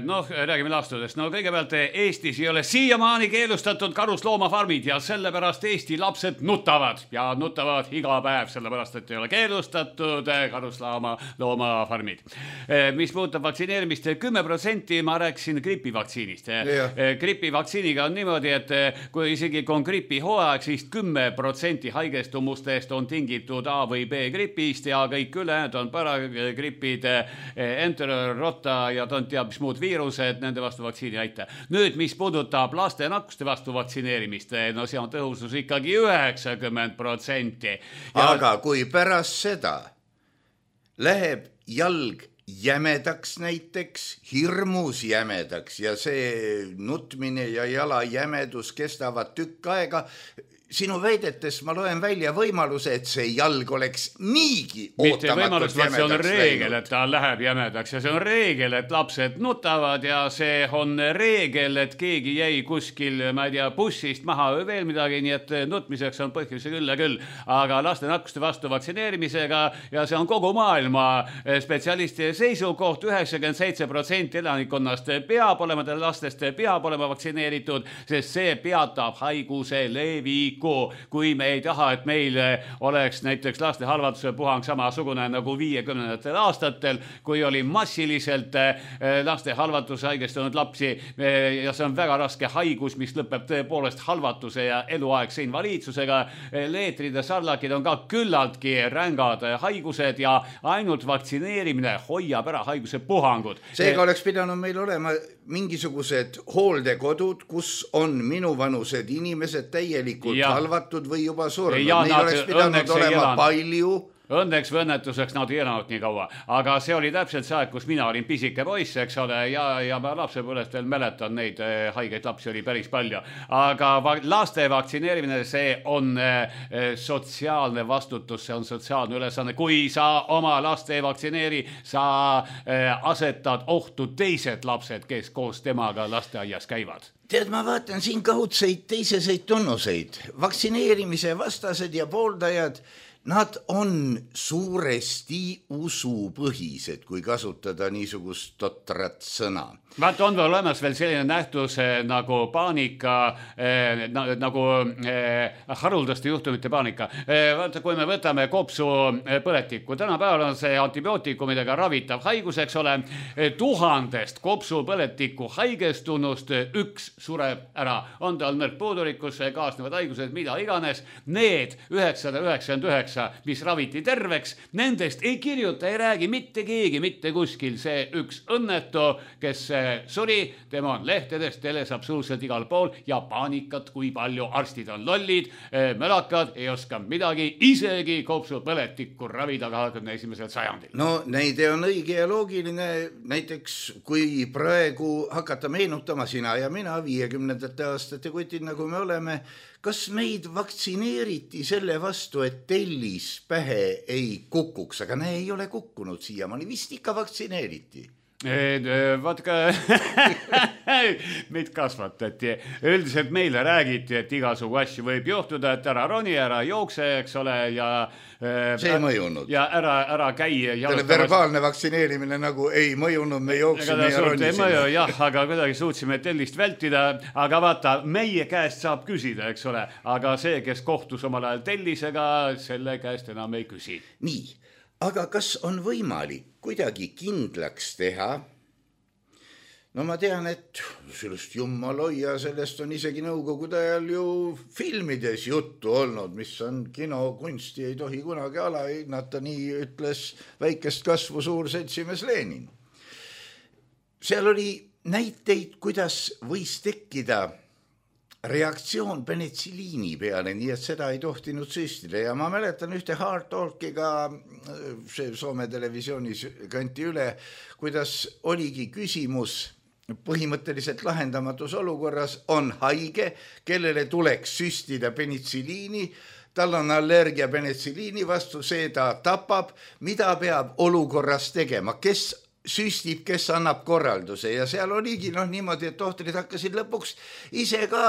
noh, räägime laastudest. No kõigepealt Eestis ei ole siiamaani keelustatud karusloomafarmid ja sellepärast Eesti lapsed nutavad ja nutavad iga päev, sellepärast et ei ole keelustatud karusloomafarmid. Mis puudutab vaktsineerimist, kümme protsenti ma rääkisin gripivaktsiinist. Gripivaktsiiniga on niimoodi, et kui isegi on gripihooaeg, siis kümme protsenti haigestumustest on tingitud A või B gripist ja kõik ülejäänud on paragripid, enterorota ja ta on teab, mis muud viirused, nende vastu vaktsiini aita. Nüüd, mis puudutab laste nakkuste vastu vaktsineerimist, no see on tõhusus ikkagi üheksakümmend protsenti. Ja... Aga kui pärast seda läheb jalg jämedaks näiteks, hirmus jämedaks ja see nutmine ja jala jämedus kestavad tükk aega, sinu väidetes ma loen välja võimaluse, et see jalg oleks niigi mitte võimalus, vaid see on reegel, et ta läheb jämedaks ja see on reegel, et lapsed nutavad ja see on reegel, et keegi jäi kuskil, ma ei tea, bussist maha või veel midagi, nii et nutmiseks on põhjuse küll ja küll, aga laste nakkuste vastu vaktsineerimisega ja see on kogu maailma spetsialisti seisukoht, üheksakümmend seitse protsenti elanikkonnast peab olema, lastest peab olema vaktsineeritud, sest see peatab haiguse leviku. Kui me ei taha, et meil oleks näiteks laste halvatuse puhang samasugune nagu viiekümnendatel aastatel, kui oli massiliselt laste halvatuse haigestunud lapsi ja see on väga raske haigus, mis lõpeb tõepoolest halvatuse ja eluaegse invaliidsusega. Leetrid ja sarlakid on ka küllaltki rängad haigused ja ainult vaktsineerimine hoiab ära haiguse puhangud. Seega oleks pidanud meil olema mingisugused hooldekodud, kus on minuvanused inimesed täielikult ja halvatud või juba surnud. Neil oleks pidanud olema palju. Õnneks või õnnetuseks nad ei elanud nii kaua, aga see oli täpselt see aeg, kus mina olin pisike poiss, eks ole, ja, ja ma lapsepõlvest veel mäletan, neid haigeid lapsi oli päris palju. Aga laste vaktsineerimine, see on sotsiaalne vastutus, see on sotsiaalne ülesanne. Kui sa oma laste ei vaktsineeri, sa asetad ohtu teised lapsed, kes koos temaga lasteaias käivad. Tead, ma vaatan siin kaudseid teiseseid tunnuseid. Vaktsineerimise vastased ja pooldajad, nad on suuresti usupõhised, kui kasutada niisugust totrat sõna. Vaata, on veel olemas veel selline nähtus nagu paanika, eh, nagu eh, haruldaste juhtumite paanika. Eh, vaata, kui me võtame kopsu põletikku, tänapäeval on see antibiootikumidega ravitav haigus, eks ole, tuhandest kopsu põletiku haigestunust üks sureb ära. On tal nõrkpuudulikkus, kaasnevad haigused, mida iganes. Need üheksasada üheksakümmend üheksa, mis raviti terveks, nendest ei kirjuta, ei räägi mitte keegi, mitte kuskil. See üks õnnetu, kes suri, tema on lehtedes, teles absoluutselt igal pool ja paanikat, kui palju arstid on lollid, mölakad, ei oska midagi, isegi kopsupõletikku ravida kahekümne esimesel sajandil. No näide on õige ja loogiline, näiteks kui praegu hakata meenutama sina ja mina viiekümnendate aastate kutid, nagu me oleme, kas meid vaktsineeriti selle vastu, et tellis pähe ei kukuks, aga ne ei ole kukkunud siiamaani, vist ikka vaktsineeriti. Vaatke, meid kasvatati. Üldiselt meile räägiti, et igasugu asju võib juhtuda, et ära roni, ära jookse, eks ole, ja see ei mõjunud. Ja ära, ära käi. Selle verbaalne vaktsineerimine nagu ei mõjunud, me jooksime ja ronisime. Mõju, jah, aga kuidagi suutsime tellist vältida, aga vaata, meie käest saab küsida, eks ole, aga see, kes kohtus omal ajal tellisega, selle käest enam ei küsi. Nii. Aga kas on võimalik kuidagi kindlaks teha? No ma tean, et sellest jummaloia, sellest on isegi nõukogude ajal ju filmides juttu olnud, mis on kinokunsti, ei tohi kunagi alahinnata, nii ütles väikest kasvu suur seltsimees Lenin. Seal oli näiteid, kuidas võis tekkida reaktsioon penitsiliini peale, nii et seda ei tohtinud süstida ja ma mäletan ühte Hard Talkiga, see Soome televisioonis kanti üle, kuidas oligi küsimus põhimõtteliselt lahendamatus olukorras, on haige, kellele tuleks süstida penitsiliini, tal on allergia penitsiliini vastu, see ta tapab, mida peab olukorras tegema, kes süstib, kes annab korralduse ja seal oligi noh niimoodi, et tohtrid hakkasid lõpuks ise ka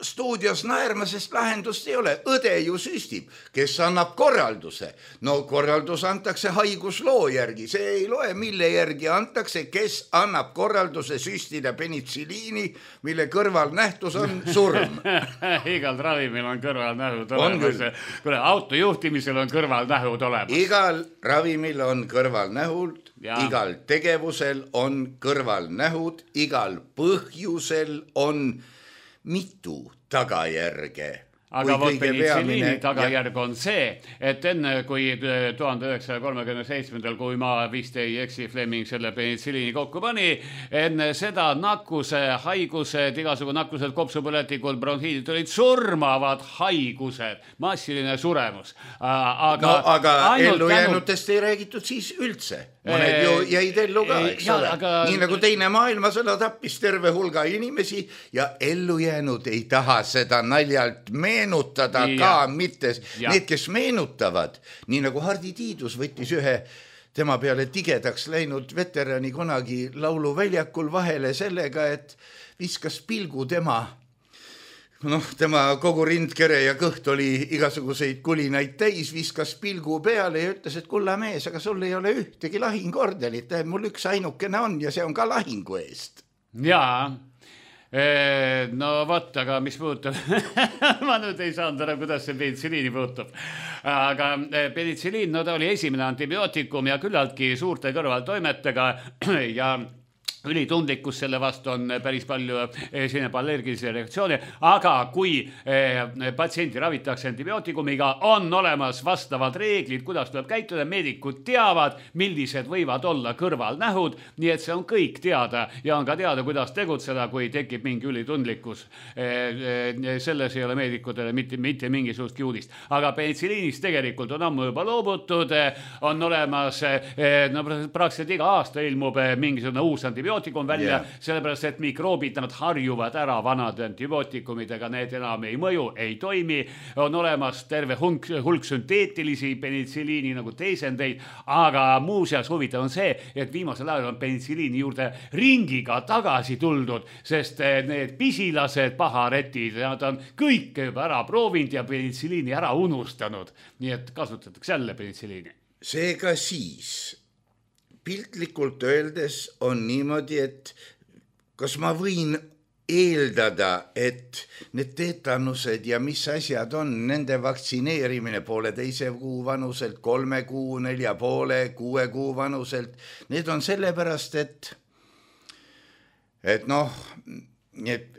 stuudios naerma, sest lahendust ei ole. Õde ju süstib, kes annab korralduse. No korraldus antakse haigusloo järgi, see ei loe, mille järgi antakse, kes annab korralduse süstida penitsiliini, mille kõrvalnähtus on surm. Igal ravimil on kõrvalnähud olemas. Kuule, autojuhtimisel on kõrvalnähud olemas. Igal ravimil on kõrvalnähud, ja. Igal tegevusel on kõrvalnähud, igal põhjusel on mitu tagajärge. Aga vot penitsiliini tagajärg on see, et enne kui tuhande üheksasaja kolmekümne seitsmendal, kui ma vist ei eksi, Fleming selle penitsiliini kokku pani, enne seda nakkuse, haigused, igasugu nakkused, kopsupõletikud, bronhiidid olid surmavad haigused, massiline suremus. Aga, no, aga ellujäänutest tänu... ei räägitud siis üldse. Mõned ju jäid ellu ka, eks ja, ole. Aga... Nii nagu teine maailmasõda tappis terve hulga inimesi ja ellujäänud ei taha seda naljalt meenutada ja. Ka mitte. Ja. Need, kes meenutavad, nii nagu Hardi Tiidus võttis ühe tema peale tigedaks läinud veterani kunagi lauluväljakul vahele sellega, et viskas pilgu tema noh, tema kogu rindkere ja kõht oli igasuguseid kulinaid täis, viskas pilgu peale ja ütles, et kulla mees, aga sul ei ole ühtegi lahinguordelit, mul üks ainukene on ja see on ka lahingu eest. Jaa, no vot, aga mis puutub, ma nüüd ei saanud ära, kuidas see penitsiliini puutub, aga penitsiliin, no ta oli esimene antibiootikum ja küllaltki suurte kõrvaltoimetega ja ülitundlikkus selle vastu on päris palju esineb allergilisi reaktsioone, aga kui patsienti ravitakse antibiootikumiga, on olemas vastavad reeglid, kuidas tuleb käituda, meedikud teavad, millised võivad olla kõrvalnähud, nii et see on kõik teada ja on ka teada, kuidas tegutseda, kui tekib mingi ülitundlikkus. Selles ei ole meedikutele mitte, mitte mingisugust kiudist. Aga penitsiliinist tegelikult on ammu juba loobutud, on olemas, no praktiliselt iga aasta ilmub mingisugune uus antibiootikum, antibiootikum välja, yeah. Sellepärast, et mikroobid nad harjuvad ära vanade antibiootikumidega, need enam ei mõju, ei toimi. On olemas terve hulk, hulk sünteetilisi penitsiliini nagu teisendeid, aga muuseas huvitav on see, et viimasel ajal on penitsiliini juurde ringiga tagasi tuldud, sest need pisilased paharetid, nad on kõik juba ära proovinud ja penitsiliini ära unustanud. Nii et kasutatakse jälle penitsiliini. Seega siis piltlikult öeldes on niimoodi, et kas ma võin eeldada, et need teetanused ja mis asjad on, nende vaktsineerimine poole teise kuu vanuselt, kolme kuu, nelja poole, kuue kuu vanuselt, need on sellepärast, et et noh, et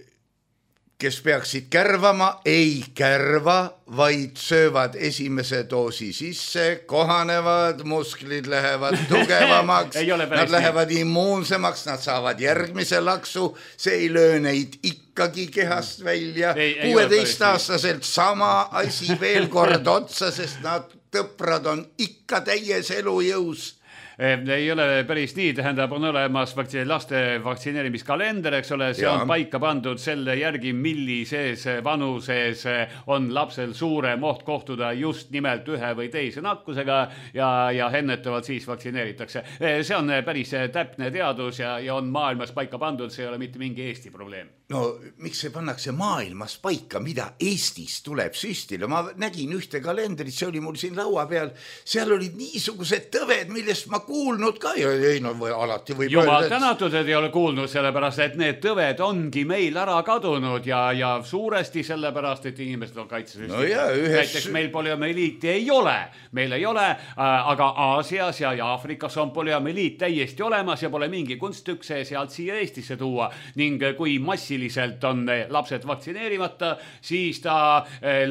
kes peaksid kärvama, ei kärva, vaid söövad esimese doosi sisse, kohanevad, musklid lähevad tugevamaks, nad lähevad immuunsemaks, nad saavad järgmise laksu, see ei löö neid ikkagi kehast välja, kuueteistaastaselt sama asi veel kord otsa, sest nad tõprad on ikka täies elujõus. Ei ole päris nii, tähendab, on olemas vaktsiin, laste vaktsineerimiskalender, eks ole, see ja. on paika pandud selle järgi, millises vanuses on lapsel suurem oht kohtuda just nimelt ühe või teise nakkusega ja, ja ennetavalt siis vaktsineeritakse. See on päris täpne teadus ja, ja on maailmas paika pandud, see ei ole mitte mingi Eesti probleem. No miks see pannakse maailmas paika, mida Eestis tuleb süstile? Ma nägin ühte kalendrit, see oli mul siin laua peal, seal olid niisugused tõved, millest ma kuulnud ka ja ei, no, või alati võib Jumal öelda, et... tänatud, et ei ole kuulnud, sellepärast, et need tõved ongi meil ära kadunud ja, ja suuresti sellepärast, et inimesed on kaitsesüsteem. No ja, ühes... Näiteks meil poliomeliiti ei ole, meil ei ole, aga Aasias ja, ja Aafrikas on poliomeliit täiesti olemas ja pole mingi kunstükk see sealt siia Eestisse tuua ning kui massiliselt on lapsed vaktsineerimata, siis ta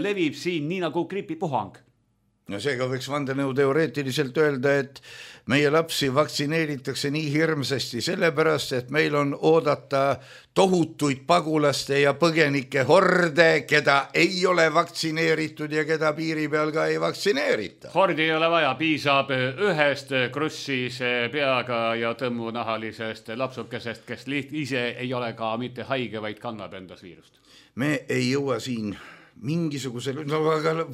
levib siin nii nagu gripipuhang. No seega võiks vandenõu teoreetiliselt öelda, et meie lapsi vaktsineeritakse nii hirmsasti sellepärast, et meil on oodata tohutuid pagulaste ja põgenike horde, keda ei ole vaktsineeritud ja keda piiri peal ka ei vaktsineerita. Hordi ei ole vaja, piisab ühest krussis peaga ja tõmmunahalisest lapsukesest, kes liht- ise ei ole ka mitte haige, vaid kannab endas viirust. Me ei jõua siin mingisugusel... No, aga...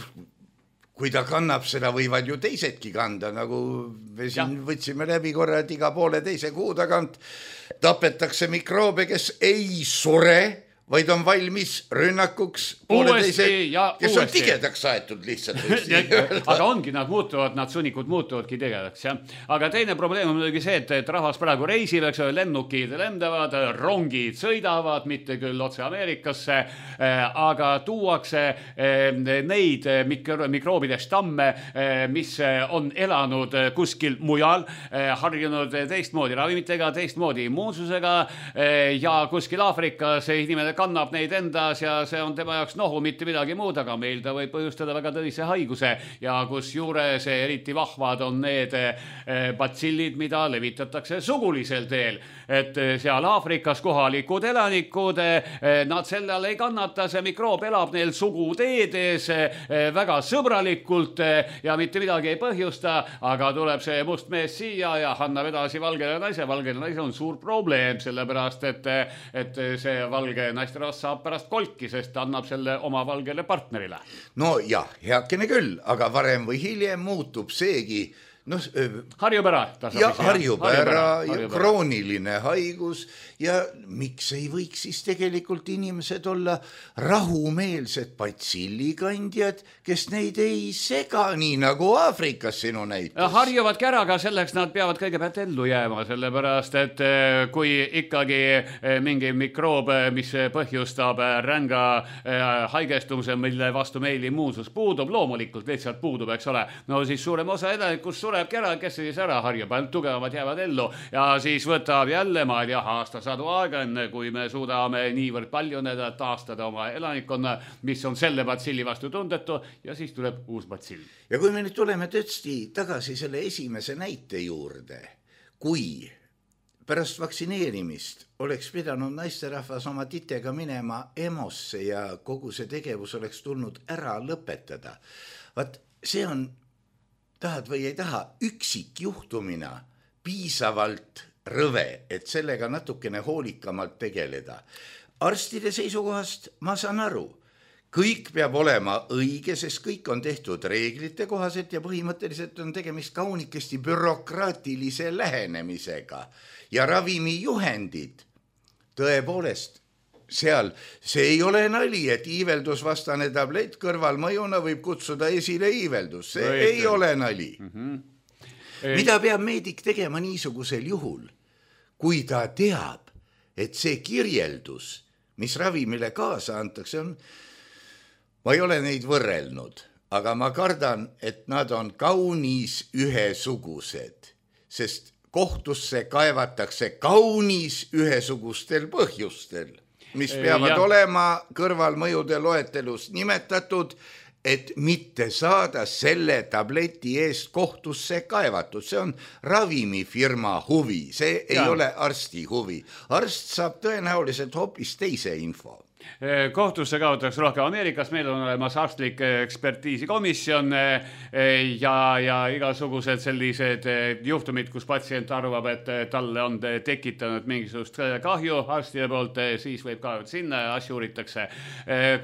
kui ta kannab, seda võivad ju teisedki kanda, nagu me siin ja. võtsime läbi korra, et iga poole teise kuu tagant tapetakse mikroobe, kes ei sure, vaid on valmis rünnakuks poole teise, kes uuesti. On tigedaks aetud lihtsalt. Aga ongi, nad muutuvad, nad sunnikud muutuvadki tigedaks. Ja? Aga teine probleem on muidugi see, et, et rahvas praegu reisib, eks ole, lennukid lendavad, rongid sõidavad, mitte küll otse Ameerikasse, aga tuuakse neid mikro, mikroobide stamme, mis on elanud kuskil mujal, harjunud teistmoodi ravimitega, teistmoodi immuunsusega ja kuskil Aafrikas inimene kannab neid endas ja see on tema jaoks nohu, mitte midagi muud, aga meil ta võib põhjustada väga tõvise haiguse ja kus juures eriti vahvad on need batsillid, mida levitatakse sugulisel teel. Et seal Aafrikas kohalikud elanikud, nad sellel ei kannata, see mikroob elab neil suguteedes väga sõbralikult ja mitte midagi ei põhjusta, aga tuleb see must mees siia ja annab edasi valgele naise. Valgele naise on suur probleem, sellepärast et, et see valge naisterahvas saab pärast kolki, sest ta annab selle oma valgele partnerile. No jah, heakene küll, aga varem või hiljem muutub seegi no, harjub ära. Ja harjub ära, krooniline haigus ja miks ei võiks siis tegelikult inimesed olla rahumeelsed patsillikandjad, kes neid ei sega, nii nagu Aafrikas sinu näitus. Harjuvadki ära, aga selleks nad peavad kõigepealt ellu jääma, sellepärast, et kui ikkagi mingi mikroob, mis põhjustab ränga haigestumise, mille vastu meil immuunsus puudub, loomulikult lihtsalt puudub, eks ole, no siis suurem osa edanikust sureb ära, kes siis ära harjub, ainult tugevamad jäävad ellu ja siis võtab jälle, ma ei tea, aastasadu aega, enne kui me suudame niivõrd palju neda taastada oma elanikkonna, mis on selle batsilli vastu tundetu ja siis tuleb uus batsill. Ja kui me nüüd tuleme tõesti tagasi selle esimese näite juurde, kui pärast vaktsineerimist oleks pidanud naisterahvas oma titega minema EMO-sse ja kogu see tegevus oleks tulnud ära lõpetada, vaat see on tahad või ei taha, üksik juhtumina piisavalt rõve, et sellega natukene hoolikamalt tegeleda. Arstide seisukohast ma saan aru, kõik peab olema õige, sest kõik on tehtud reeglite kohaselt ja põhimõtteliselt on tegemist kaunikesti bürokraatilise lähenemisega ja ravimijuhendid tõepoolest seal, see ei ole nali, et iiveldusvastane tablett kõrvalmõjuna võib kutsuda esile iiveldus, see no, ei ole nali. Mm-hmm. Mida peab meedik tegema niisugusel juhul, kui ta teab, et see kirjeldus, mis ravimile kaasa antakse, on, ma ei ole neid võrrelnud, aga ma kardan, et nad on kaunis ühesugused, sest kohtusse kaevatakse kaunis ühesugustel põhjustel, mis peavad ja. olema kõrvalmõjude loetelus nimetatud, et mitte saada selle tableti eest kohtusse kaevatud. See on ravimifirma huvi, see ei ja. ole arsti huvi. Arst saab tõenäoliselt hoopis teise info. Kohtusse kaotakse rohkem Ameerikas, meil on olemas arstlik ekspertiisikomisjon ja, ja igasugused sellised juhtumid, kus patsient arvab, et talle on tekitanud mingisugust kahju arstide poolt, siis võib kaevata sinna ja asju uuritakse.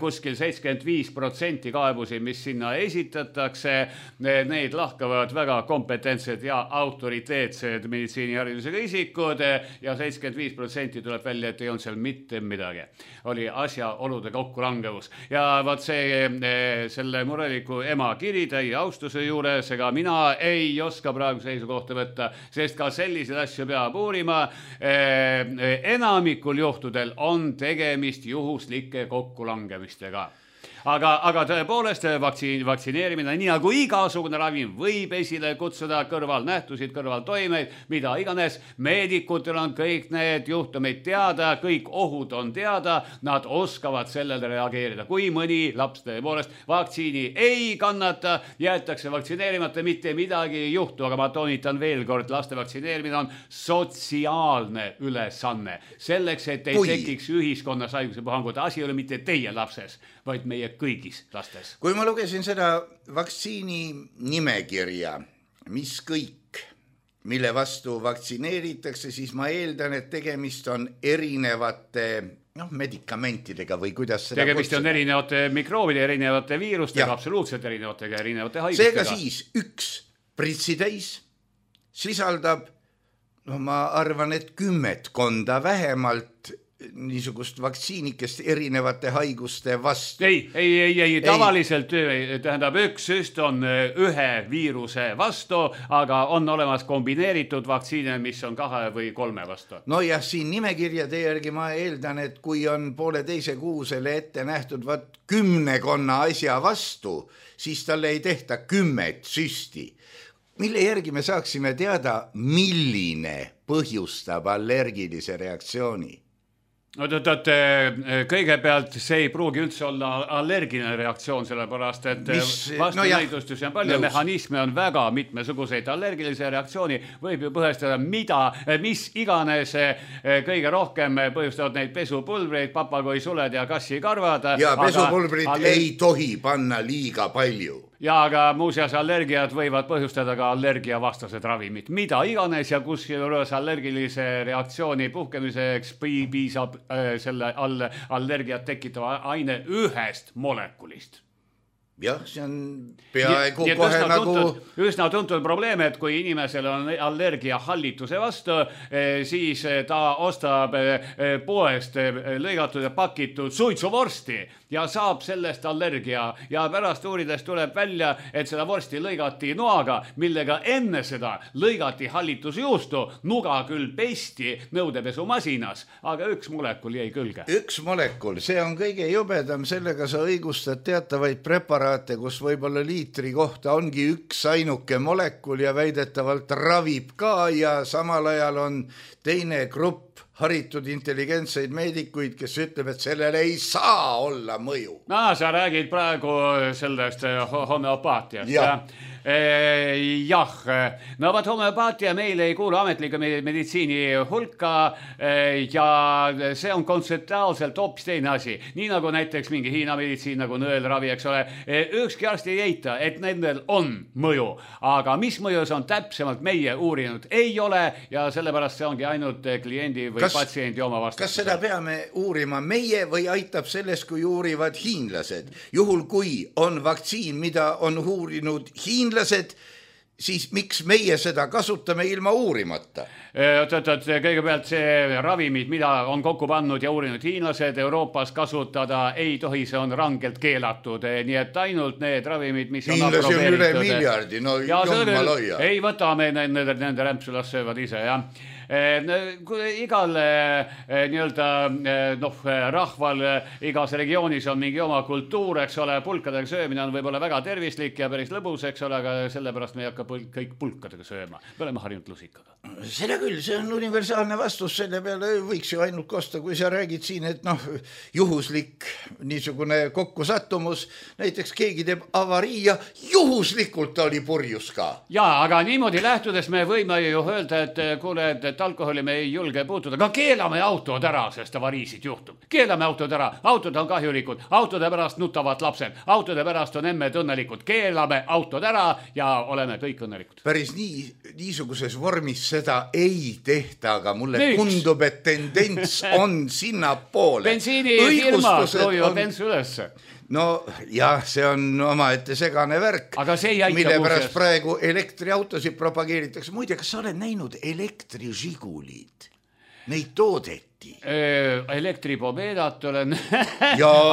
Kuskil seitsekümmend viis protsenti kaebusi, mis sinna esitatakse, neid lahkavad väga kompetentsed ja autoriteetsed meditsiiniharidusega isikud ja seitsekümmend viis protsenti tuleb välja, et ei olnud seal mitte midagi. Oli asja olude kokkulangevus. Ja vaat see, selle mureliku ema kiri täie austuse juures, ega mina ei oska praegu seisukohta võtta, sest ka selliseid asju peab uurima. Enamikul juhtudel on tegemist juhuslike kokkulangemistega. Aga, aga tõepoolest vaktsiin, vaktsineerimine, nii nagu igasugune ravim, võib esile kutsuda kõrvalnähtusid, kõrvaltoimeid, mida iganes. Meedikutel on kõik need juhtumid teada, kõik ohud on teada, nad oskavad sellele reageerida. Kui mõni laps tõepoolest vaktsiini ei kannata, jäetakse vaktsineerimata, mitte midagi ei juhtu, aga ma toonitan veel kord, laste vaktsineerimine on sotsiaalne ülesanne. Selleks, et ei Kui. tekiks ühiskonnas haiguse puhangut, asi ei ole mitte teie lapses, vaid meie kõigis lastes. Kui ma lugesin seda vaktsiini nimekirja, mis kõik, mille vastu vaktsineeritakse, siis ma eeldan, et tegemist on erinevate noh, medikamentidega või kuidas seda tegemist kutsuda. On erinevate mikroobide, erinevate viirustega, ja. absoluutselt erinevatega, erinevate haigustega. Seega siis üks pritsitäis sisaldab, no ma arvan, et kümmetkonda vähemalt niisugust vaktsiinikest erinevate haiguste vastu. Ei, ei, ei, ei, tavaliselt ei. Tähendab, üks süst on ühe viiruse vastu, aga on olemas kombineeritud vaktsiine, mis on kahe või kolme vastu. No jah, siin nimekirjade järgi ma eeldan, et kui on poole teise kuusele ette nähtud vaat kümnekonna asja vastu, siis talle ei tehta kümmet süsti. Mille järgi me saaksime teada, milline põhjustab allergilise reaktsiooni? No tõtt, kõigepealt see ei pruugi üldse olla allergiline reaktsioon, sellepärast, et vastunäidustusi on palju, mehhanisme on väga mitmesuguseid. Allergilise reaktsiooni võib ju põhjustada mida, mis iganes kõige rohkem põhjustavad neid pesupulbreid, papagoisuled ja kassikarvad. Ja pesupulbrid aga... ei tohi panna liiga palju. Ja aga muuseas allergiad võivad põhjustada ka allergiavastased ravimid. Mida iganes ja kus juures allergilise reaktsiooni puhkemiseks piisab äh, selle all, allergiat tekitava aine ühest molekulist. Jah, see on peaaegu ja, kohe üsna nagu... Tuntud, üsna tuntud probleem, et kui inimesel on allergia hallituse vastu, siis ta ostab poest lõigatud ja pakitud suitsuvorsti ja saab sellest allergia. Ja pärast uurides tuleb välja, et seda vorsti lõigati noaga, millega enne seda lõigati hallitusjuustu. Nuga küll pesti nõudepesumasinas, aga üks molekul jäi külge. Üks molekul, see on kõige jubedam, sellega sa õigustad teatavaid preparaate, kus võib-olla liitri kohta ongi üks ainuke molekul ja väidetavalt ravib ka ja samal ajal on teine grupp haritud intelligentseid meedikuid, kes ütleb, et sellele ei saa olla mõju. No, sa räägid praegu sellest homeopaatiast. Ja. Jah, no vaat homeopaatia meil ei kuulu ametliku meditsiini hulka ja see on kontseptuaalselt hoopis teine asi. Nii nagu näiteks mingi Hiina meditsiin nagu nõelravi, eks ole. Ükski arst ei eita, et nendel on mõju, aga mis mõjus on täpsemalt meie uurinud ei ole ja sellepärast see ongi ainult kliendi või kas, patsiendi oma vastus. Kas seda peame uurima meie või aitab sellest, kui uurivad hiinlased? Juhul kui on vaktsiin, mida on uurinud hiinlased, siis miks meie seda kasutame ilma uurimata? Kõigepealt see ravimid, mida on kokku pannud ja uurinud hiinlased Euroopas kasutada ei tohi, see on rangelt keelatud. Nii et ainult need ravimid, mis on aprobeeritud. Hiinlasi on üle miljardi, no jumma loia. Ei võta me nende, nende rämpsulas söövad ise, jah. igal nii-öelda noh, rahval igas regioonis on mingi oma kultuur, eks ole, pulkadega söömine on võib-olla väga tervislik ja päris lõbus, eks ole, aga sellepärast me ei hakka kõik pulkadega sööma. Me oleme harjunud lusikaga. Seda küll, see on universaalne vastus, selle peale võiks ju ainult kosta, kui sa räägid siin, et noh, juhuslik niisugune kokkusattumus, näiteks keegi teeb avarii ja juhuslikult oli purjus ka. Jaa, aga niimoodi lähtudes me võime ju öelda, et kuule, et alkoholi me ei julge puutuda, aga keelame autod ära, sest avariisid juhtub. Keelame autod ära, autod on kahjulikud, autode pärast nutavad lapsed, autode pärast on emmed õnnelikud, keelame autod ära ja oleme kõik õnnelikud. Päris nii, niisuguses vormis seda ei tehta, aga mulle Miks? tundub, et tendents on sinna poole. Bensiinifirma loojuvad on... ensu ülesse. No jah, see on omaette segane värk, mille pärast praegu elektriautosid propageeritakse. Muide, kas sa oled näinud elektrižigulid? Neid toodeti. Elektripomeedat olen.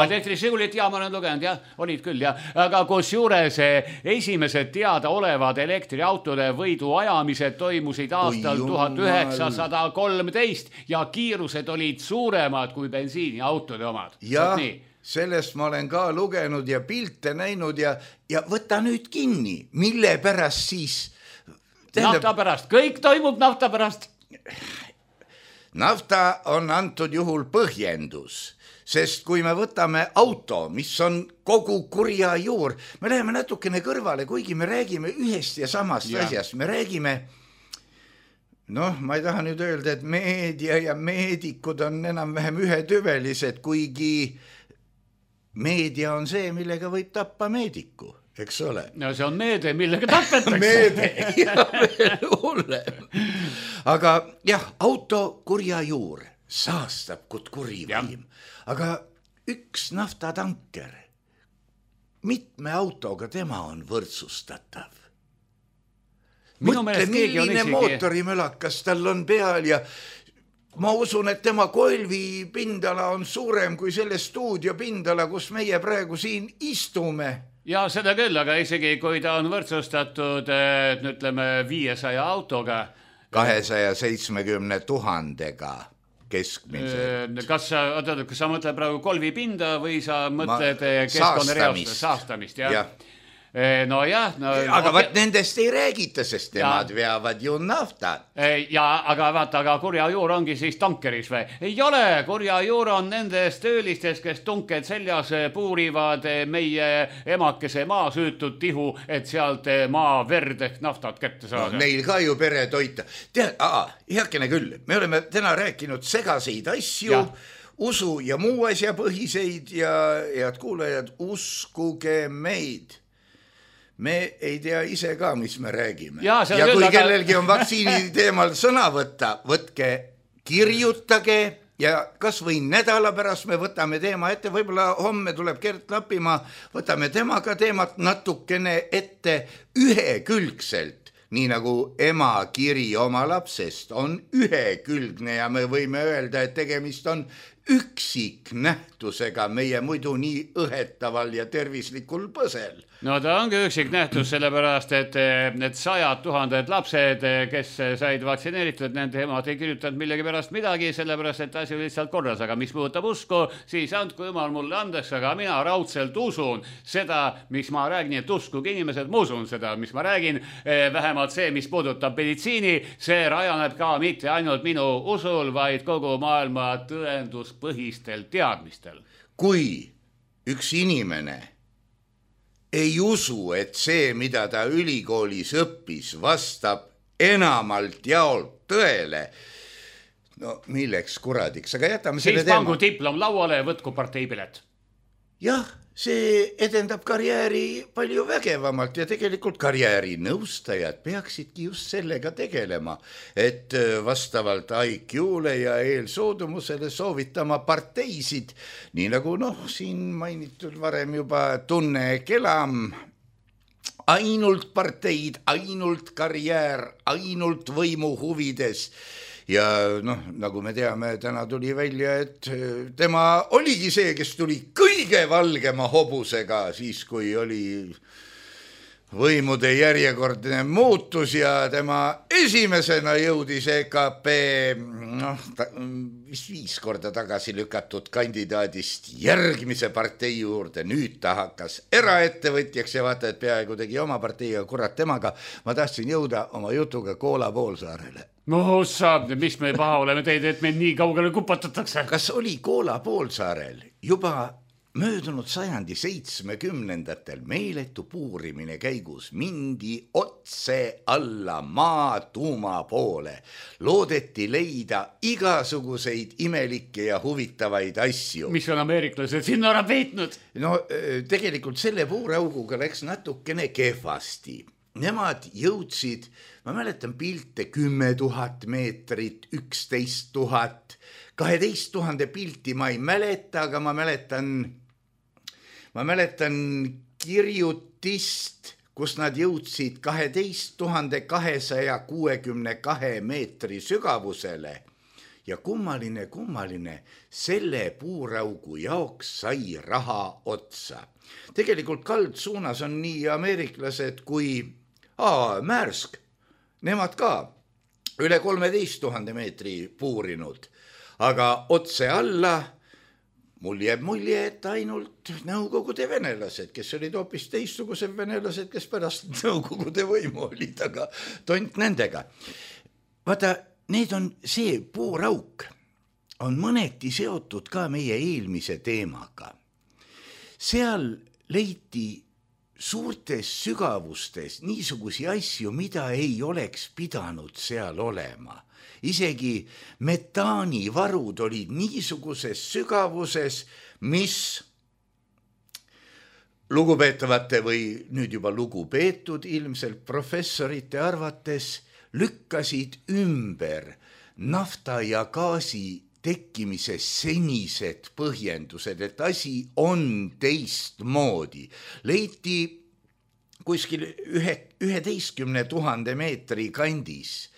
Elektrižigulit, ja ma olen lugenud, jah, olid küll, jah. Aga kus juures esimesed teada olevad elektriautode võidu ajamised toimusid aastal tuhat üheksasada kolmteist ja kiirused olid suuremad kui bensiiniautode omad. Ja sellest ma olen ka lugenud ja pilte näinud ja, ja võta nüüd kinni, mille pärast siis... Tähendab... Nafta pärast, kõik toimub nafta pärast. Nafta on antud juhul põhjendus, sest kui me võtame auto, mis on kogu kurja juur, me läheme natukene kõrvale, kuigi me räägime ühest ja samast ja. asjast, me räägime... Noh, ma ei taha nüüd öelda, et meedia ja meedikud on enam-vähem ühetüvelised, kuigi... Meedia on see, millega võib tappa meediku, eks ole? No see on meede, millega tapetakse. Meede, ja veel hullem. Aga jah, auto kurja juur saastab kut kurivaim. Aga üks naftatanker, mitme autoga tema on võrdsustatav. Mõtle, milline mootorimölakas tal on peal ja... Ma usun, et tema koelvi pindala on suurem kui selle stuudio pindala, kus meie praegu siin istume. Ja seda küll, aga isegi kui ta on võrdsustatud, ütleme, viiesaja autoga. kahesaja seitsmekümne tuhandega keskmiselt. Kas sa, kas sa mõtled praegu kolvi pinda või sa mõtled keskkonnareost saastamist? Ja? Ja. No jah, no, aga vaat nendest ei räägita, sest nemad ja. veavad ju nafta. Ja, aga vaata, aga kurja juur ongi siis tankeris või? Ei ole, kurja juur on nendest töölistes, kes tunked seljas puurivad meie emakese maa süütud tihu, et sealt maa verd ehk naftat kätte saada. No, neil ka ju pere toita. Tead, aa, heakene küll, me oleme täna rääkinud segaseid asju, ja. usu ja muu asja põhiseid ja head kuulajad, uskuge meid. Me ei tea ise ka, mis me räägime. Ja, ja kui aga... kellelgi on vaktsiini teemal sõna võtta, võtke, kirjutage ja kas või nädala pärast me võtame teema ette, võib-olla homme tuleb Gert Lapimaa, võtame temaga teemat natukene ette ühekülgselt, nii nagu ema kiri oma lapsest on ühekülgne ja me võime öelda, et tegemist on üksik nähtusega meie muidu nii õhetaval ja tervislikul põsel. No ta ongi üksik nähtus sellepärast, et need sajad tuhanded lapsed, kes said vaktsineeritud, nende emad ei kirjutanud millegi pärast midagi, sellepärast, et asi oli lihtsalt korras. Aga mis puudutab usku, siis andku jumal mulle andeks, aga mina raudselt usun seda, mis ma räägin, et uskuge inimesed, ma usun seda, mis ma räägin. Vähemalt see, mis puudutab meditsiini, see rajaneb ka mitte ainult minu usul, vaid kogu maailma tõenduspõhistel teadmistel. Kui üks inimene ei usu, et see, mida ta ülikoolis õppis, vastab enamalt jaolt tõele. No milleks kuradiks, aga jätame selle teema. Siis pangu diplom lauale ja võtku parteipilet. Jah, see edendab karjääri palju vägevamalt ja tegelikult karjääri nõustajad peaksidki just sellega tegelema, et vastavalt I Q-le ja eelsoodumusele soovitama parteisid, nii nagu noh, siin mainitud varem juba Tunne Kelam, ainult parteid, ainult karjäär, ainult võimu huvides. Ja noh, nagu me teame, täna tuli välja, et tema oligi see, kes tuli kõige valgema hobusega siis, kui oli võimude järjekordne muutus ja tema esimesena jõudis E K P noh, vist viis korda tagasi lükatud kandidaadist järgmise partei juurde. Nüüd ta hakkas eraettevõtjaks ja vaata, et peaaegu tegi oma parteiga, kurat temaga. Ma tahtsin jõuda oma jutuga Koola poolsaarele. No saab, mis me paha oleme teid, et meil nii kaugele kupatatakse? Kas oli Koola poolsaarel juba möödunud sajandi seitsmekümnendatel meeletu puurimine käigus mindi otse alla maa tuuma poole. Loodeti leida igasuguseid imelikke ja huvitavaid asju. Mis on ameeriklased sinna ära peitnud? No tegelikult selle puurauguga läks natukene kehvasti. Nemad jõudsid, ma mäletan pilte, kümme tuhat meetrit, üksteist tuhat, kaheteist tuhande pilti ma ei mäleta, aga ma mäletan Ma mäletan kirjutist, kus nad jõudsid kaheteist tuhande kahesaja kuuekümne kahe meetri sügavusele ja kummaline, kummaline, selle puuraugu jaoks sai raha otsa. Tegelikult kaldsuunas on nii ameeriklased kui aa, Märsk, nemad ka üle kolmeteist tuhande meetri puurinud, aga otse alla mul jääb mulje, et ainult nõukogude venelased, kes olid hoopis teistsugused venelased, kes pärast nõukogude võimu olid, aga tont nendega. Vaata, need on see puurauk, on mõneti seotud ka meie eelmise teemaga. Seal leiti suurtes sügavustes niisugusi asju, mida ei oleks pidanud seal olema. Isegi metaanivarud olid niisuguses sügavuses, mis lugupeetavate või nüüd juba lugupeetud ilmselt professorite arvates lükkasid ümber nafta ja gaasi tekkimise senised põhjendused, et asi on teistmoodi. Leiti kuskil ühe, üheteistkümne tuhande meetri kandis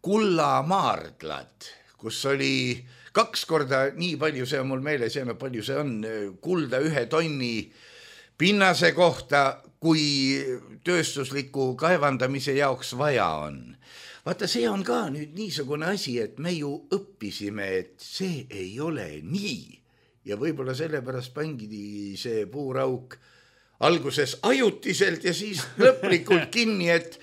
kullamaardlad, kus oli kaks korda nii palju, see on mul meeles, ja palju see on, kulda ühe tonni pinnase kohta, kui tööstusliku kaevandamise jaoks vaja on. Vaata, see on ka nüüd niisugune asi, et me ju õppisime, et see ei ole nii. Ja võib-olla sellepärast pangidi see puurauk alguses ajutiselt ja siis lõplikult kinni, et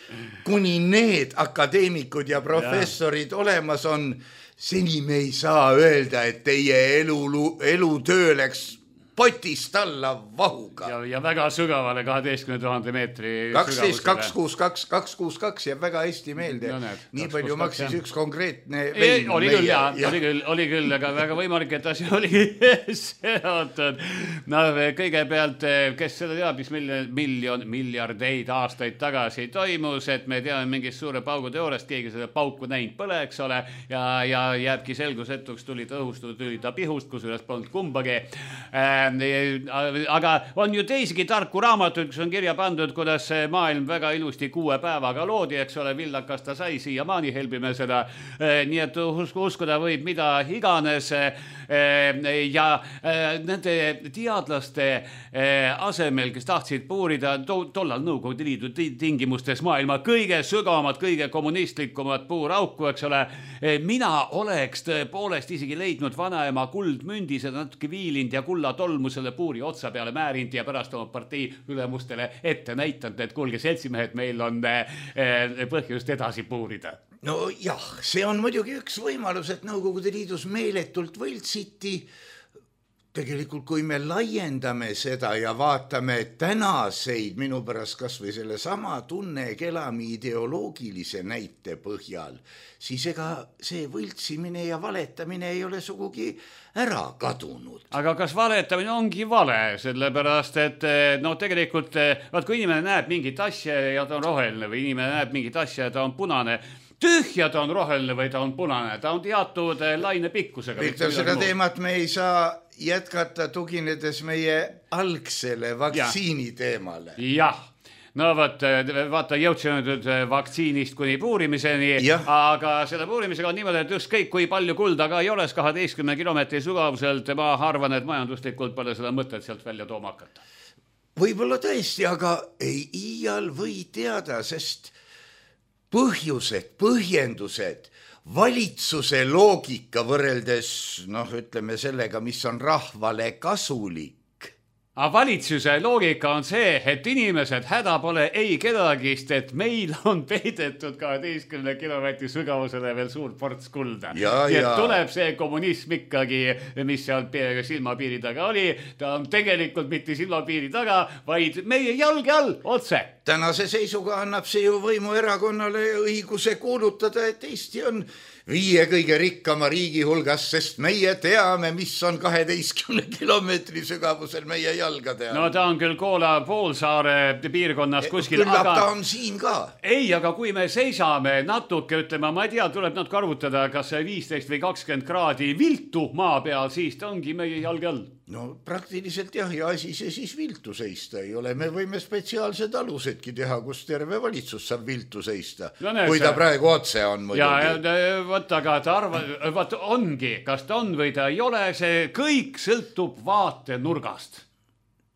kuni need akadeemikud ja professorid ja. Olemas on, seni me ei saa öelda, et teie elu, elutöö läks potist alla vahuga. Ja, ja väga sügavale kaheteistkümne tuhande meetri kaksteist kaks kuus kaks kaks kuus kaks jääb väga hästi meelde. No, need, nii palju maksis üks konkreetne vein. Oli küll, ja, ja. Oli, küll, oli küll, aga väga võimalik, et asi oli seotud. No, kõigepealt, kes seda teab, mis miljon, miljon, miljardeid aastaid tagasi toimus, et me teame mingist suure paugu teooriast, keegi seda pauku näinud pole, eks ole, ja, ja jääbki selgusetuks, tuli ta õhust, tuli ta pihust, kus üles polnud kumbagi. Aga on ju teisigi tarku raamatuid, kus on kirja pandud, kuidas maailm väga ilusti kuue päevaga loodi, eks ole, villakas ta sai, siiamaani helbime seda, nii et uskuda võib mida iganes ja nende teadlaste asemel, kes tahtsid puurida tollal Nõukogude Liidu tingimustes maailma kõige sügavamad, kõige kommunistlikumad puurauku, eks ole, mina oleks tõepoolest isegi leidnud vanaema kuldmündi, seda natuke viilind ja kulla tolmu selle puuri otsa peale määrinud ja pärast oma partei ülemustele ette näitanud, et kuulge seltsimehed, meil on põhjust edasi puurida. No jah, see on muidugi üks võimalus, et Nõukogude Liidus meeletult võltsiti. Tegelikult, kui me laiendame seda ja vaatame tänaseid minu pärast kas või selle sama tunne kelami ideoloogilise näite põhjal, siis ega see võltsimine ja valetamine ei ole sugugi ära kadunud. Aga kas valetamine ongi vale, sellepärast, et no tegelikult, vaat kui inimene näeb mingit asja ja ta on roheline või inimene näeb mingit asja ja ta on punane, tühja ta on roheline või ta on punane, ta on teatud laine pikkusega. Viktor, seda teemat me ei saa jätkata tuginedes meie algsele vaktsiini teemale. Jah, no vaat, vaata, jõudsime nüüd vaktsiinist kuni puurimiseni, ja. Aga selle puurimisega on niimoodi, et ükskõik kui palju kulda ka ei oleks kaheteistkümne kilomeetri sügavuselt, ma arvan, et majanduslikult pole seda mõtet sealt välja tooma hakata. võib-olla tõesti, aga ei iial või teada, sest põhjused, põhjendused, valitsuse loogika võrreldes, noh, ütleme sellega, mis on rahvale kasulik. Aga valitsuse loogika on see, et inimesed häda pole ei kedagist, et meil on peidetud kaheteistkümne kilomeetri sügavusele veel suur ports kulda. Ja, ja ja. tuleb see kommunism ikkagi, mis seal silmapiiri taga oli, ta on tegelikult mitte silmapiiri taga, vaid meie jalge all otse. Tänase seisuga annab see ju võimuerakonnale õiguse kuulutada, et Eesti on viie kõige rikkama riigi hulgas, sest meie teame, mis on kaheteistkümne kilomeetri sügavusel meie jalgade all. No ta on küll Koola poolsaare piirkonnas kuskil. Küllap aga... ta on siin ka. Ei, aga kui me seisame natuke, ütleme, ma ei tea, tuleb natuke arvutada, kas see viisteist või kakskümmend kraadi viltu maa peal, siis ta ongi meie jalge all. No praktiliselt jah, ja asi see siis viltu seista ei ole. Me võime spetsiaalsed alusedki teha, kus terve valitsus saab viltu seista. No, näed, kui ta see... praegu otse on muidugi. Ja, ja võt, aga ta arva, võt, ongi, kas ta on või ta ei ole, see kõik sõltub vaatenurgast.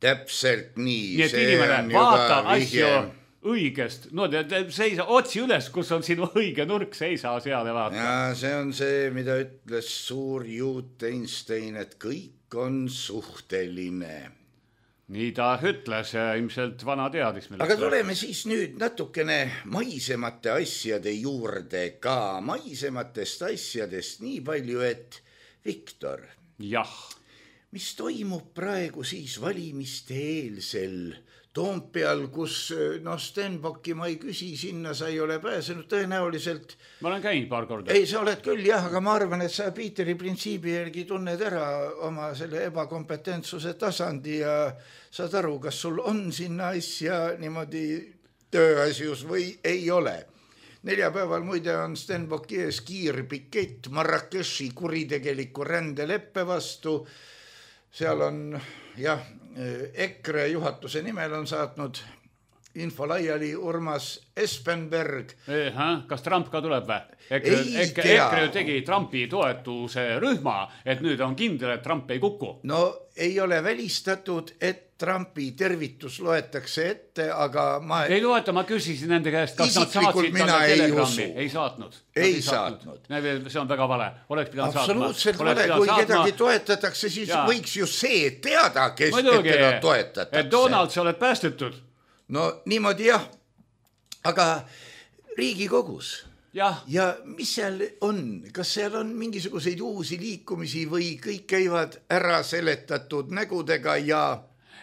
Täpselt nii. Nii et inimene vaata asju õigest. No te, te seisa otsi üles, kus on sinu õige nurk, seisa seal ja vaata. Ja see on see, mida ütles suur juut Einstein, et kõik on suhteline. Nii ta ütles ja ilmselt vana teadis. Aga tuleme siis nüüd natukene maisemate asjade juurde ka. Maisematest asjadest nii palju, et Viktor. Jah. Mis toimub praegu siis valimiste eelsel Toompeal, kus no Stenbocki ma ei küsi, sinna sa ei ole pääsenud tõenäoliselt. Ma olen käinud paar korda. Ei, sa oled küll jah, aga ma arvan, et sa Piiteri printsiibi järgi tunned ära oma selle ebakompetentsuse tasandi ja saad aru, kas sul on sinna asja niimoodi tööasjus või ei ole. Neljapäeval muide on Stenbocki ees kiirpikett Marrakechi kuritegeliku rändeleppe vastu. Seal on jah, EKRE juhatuse nimel on saatnud info laiali Urmas Espenberg. Eha, kas Trump ka tuleb või? EKRE, EKRE, EKRE tegi Trumpi toetuse rühma, et nüüd on kindel, et Trump ei kuku. No ei ole välistatud, et Trumpi tervitus loetakse ette, aga ma... Ei loeta, ma küsisin nende käest, kas nad saatsid talle telegrammi. Ei saatnud. Ei saatnud. See on väga vale. Oleks pidanud saatma. Absoluutselt vale. Kui kedagi toetatakse, siis ja. Võiks ju see teada, kes Muidugi, teda toetatakse. Et Donald, sa oled päästetud. No niimoodi jah. Aga Riigikogus... Ja. ja mis seal on? Kas seal on mingisuguseid uusi liikumisi või kõik käivad ära seletatud nägudega ja...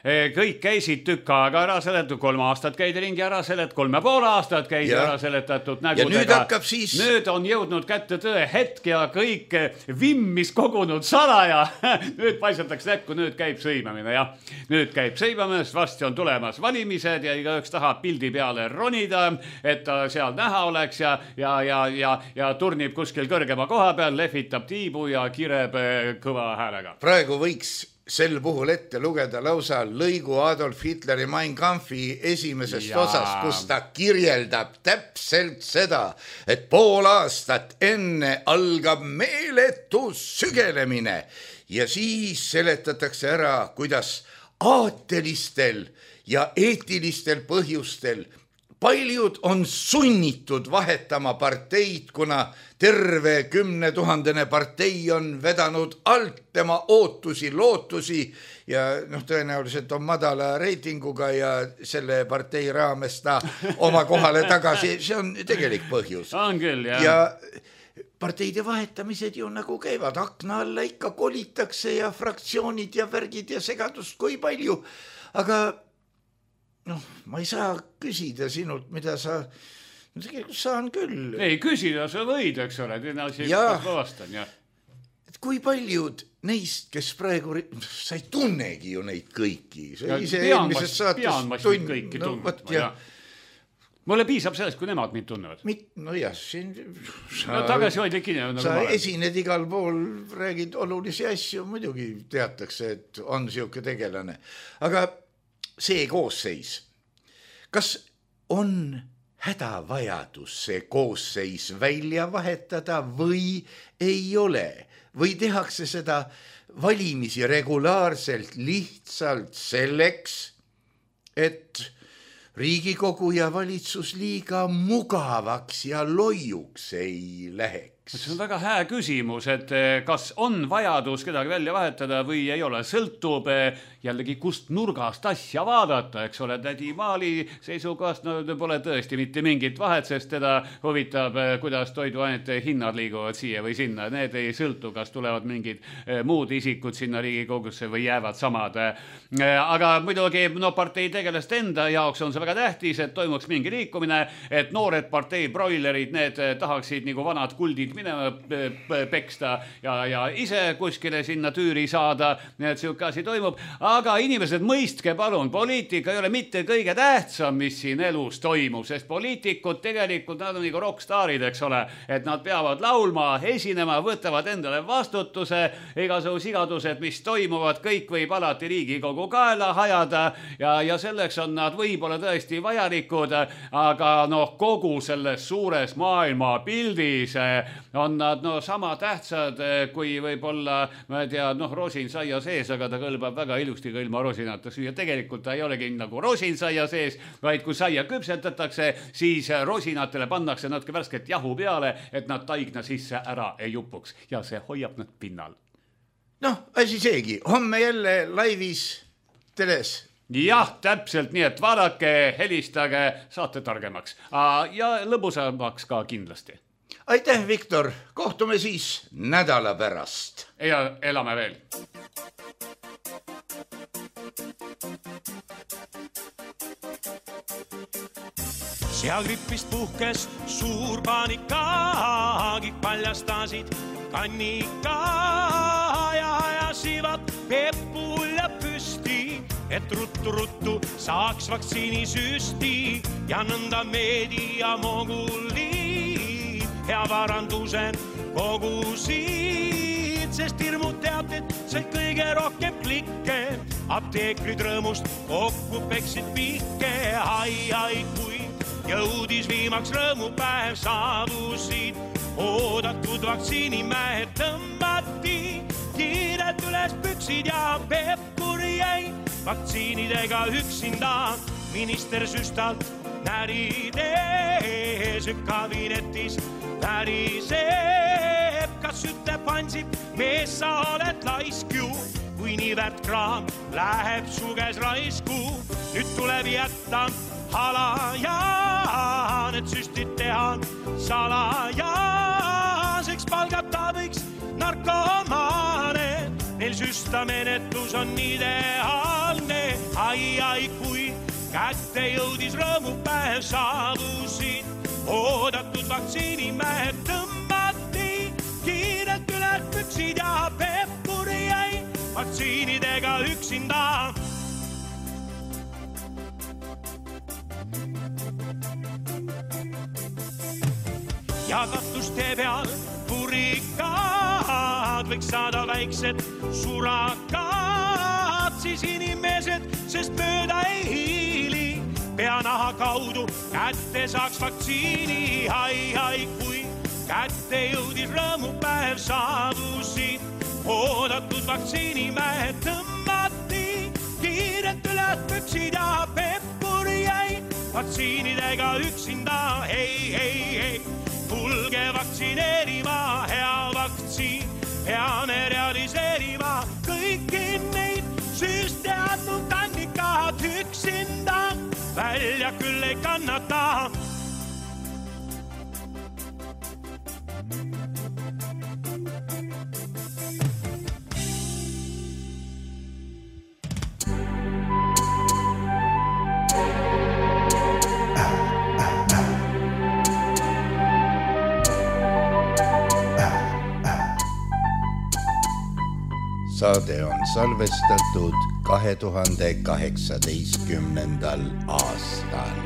Kõik käisid tükk aega ära seletud, kolm aastat käidi ringi ära selet, kolme pool aastat käidi ja. Ära seletatud nägudega. Ja nüüd hakkab siis... Nüüd on jõudnud kätte tõe hetk ja kõik vimmis kogunud salaja. Nüüd paisatakse näkku, nüüd käib sõimamine ja nüüd käib sõimamine, vasti on tulemas valimised ja igaüks tahab pildi peale ronida, et ta seal näha oleks ja, ja, ja, ja, ja turnib kuskil kõrgema koha peal, lehvitab tiibu ja kireb kõva häälega. Praegu võiks sel puhul ette lugeda lausa lõigu Adolf Hitleri Mein Kampfi esimesest ja. Osas, kus ta kirjeldab täpselt seda, et pool aastat enne algab meeletu sügelemine ja siis seletatakse ära, kuidas aatelistel ja eetilistel põhjustel paljud on sunnitud vahetama parteid, kuna terve kümne tuhandene partei on vedanud alt tema ootusi, lootusi ja noh, tõenäoliselt on madala reitinguga ja selle partei raames ta oma kohale tagasi. See on tegelik põhjus. On küll, jah. Ja parteide vahetamised ju nagu käivad. Akna alla ikka kolitakse ja fraktsioonid ja värgid ja segadust kui palju. Aga noh, ma ei saa küsida sinult, mida sa... Tegelikult saan küll. Ei, küsida sa võid, eks ole. Ja, vastan, ja. Et kui paljud neist, kes praegu... Sa ei tunnegi ju neid kõiki. Ja, pean ma siin kõiki no, tundma. Ja. Mulle piisab sellest, kui nemad mind tunnevad. Mit, no jah, siin... Sa, no, tagasi hoidlik inimene. Sa esined igal pool, räägid olulisi asju, muidugi teatakse, et on siuke tegelane. Aga... see koosseis, kas on hädavajadus see koosseis välja vahetada või ei ole? Või tehakse seda valimisi regulaarselt lihtsalt selleks, et Riigikogu ja valitsus liiga mugavaks ja loiuks ei läheks? See on väga hää küsimus, et kas on vajadus kedagi välja vahetada või ei ole. Sõltub jällegi kust nurgast asja vaadata, eks ole. Tädi Maali seisukohast no, pole tõesti mitte mingit vahet, sest teda huvitab, kuidas toiduainete hinnad liiguvad siia või sinna. Need ei sõltu, kas tulevad mingid muud isikud sinna Riigikogusse või jäävad samad. Aga muidugi no, partei tegelast enda jaoks on see väga tähtis, et toimuks mingi liikumine, et noored partei broilerid, need tahaksid nagu vanad kuldid minema peksta ja, ja ise kuskile sinna tüüri saada, nii et siuke asi toimub. Aga inimesed, mõistke palun, poliitika ei ole mitte kõige tähtsam, mis siin elus toimub, sest poliitikud tegelikult, nad on nagu rockstaarid, eks ole, et nad peavad laulma, esinema, võtavad endale vastutuse, igasugu sigadused, mis toimuvad, kõik võib alati Riigikogu kaela hajada ja, ja selleks on nad võib-olla tõesti vajalikud, aga noh, kogu selles suures maailma pildis on nad no, sama tähtsad kui võib-olla, ma ei tea, noh, rosin saia sees, aga ta kõlbab väga ilusti ka ilma rosinata süüa. Tegelikult ta ei olegi nagu rosin saia sees, vaid kui saia küpsetatakse, siis rosinatele pannakse natuke värsket jahu peale, et nad taigna sisse ära ei jupuks ja see hoiab nad pinnal. Noh, asi seegi. Homme jälle laivis teles. Jah, täpselt nii, et vaadake, helistage, saate targemaks ja lõbusamaks ka kindlasti. Aitäh, Viktor. Kohtume siis nädala pärast. Ja elame veel. Seagripist puhkes suur paanika, kõik paljastasid kannika ja ajasivad Peppul ja püsti, et ruttu-ruttu saaks vaktsiinisüsti ja nõnda meedia moguli ja varandused kogusid, sest hirmud teated said kõige rohkem klikke. Apteekrid rõõmust kokku peksid pikke, ai, ai, kui jõudis viimaks rõõmupäev saabusid. Oodatud vaktsiinimäed tõmbati kiirelt üles püksid ja Pevkur jäi vaktsiinidega üksinda. Minister süstalt närides kabinetis väriseb, kas ütleb Ansip, mees sa oled laisk ju, kui nii väärt kraam läheb su käes raisku. Nüüd tuleb jätta halajaan, et süstid teha salajaseks, palgata võiks narkomaane, neil süstamenetlus on ideaalne. Ai, ai, kui kätte jõudis rõõmupäev saabusid, oodatud vaktsiinimäed tõmbati kiirelt üles püksid ja Pevkur jäi vaktsiinidega üksinda. Ja katuste peal purikad võiks saada väiksed surakad, siis inimesed, sest mööda ei hiili, peanaha kaudu kätte saaks vaktsiini. Ai, ai, kui kätte jõudis rõõmupäev saabusid, oodatud vaktsiinimäed tõmbati kiirelt üles püksid ja Pevkur jäi vaktsiinidega üksinda. Hei, hei, hei, tulge vaktsineerima, hea vaktsiin, peame realiseerima kõiki neid süste andnud kannikad üksinda, välja küll ei kannata. Saade on salvestatud kahe tuhande kaheksateistkümnendal aastal.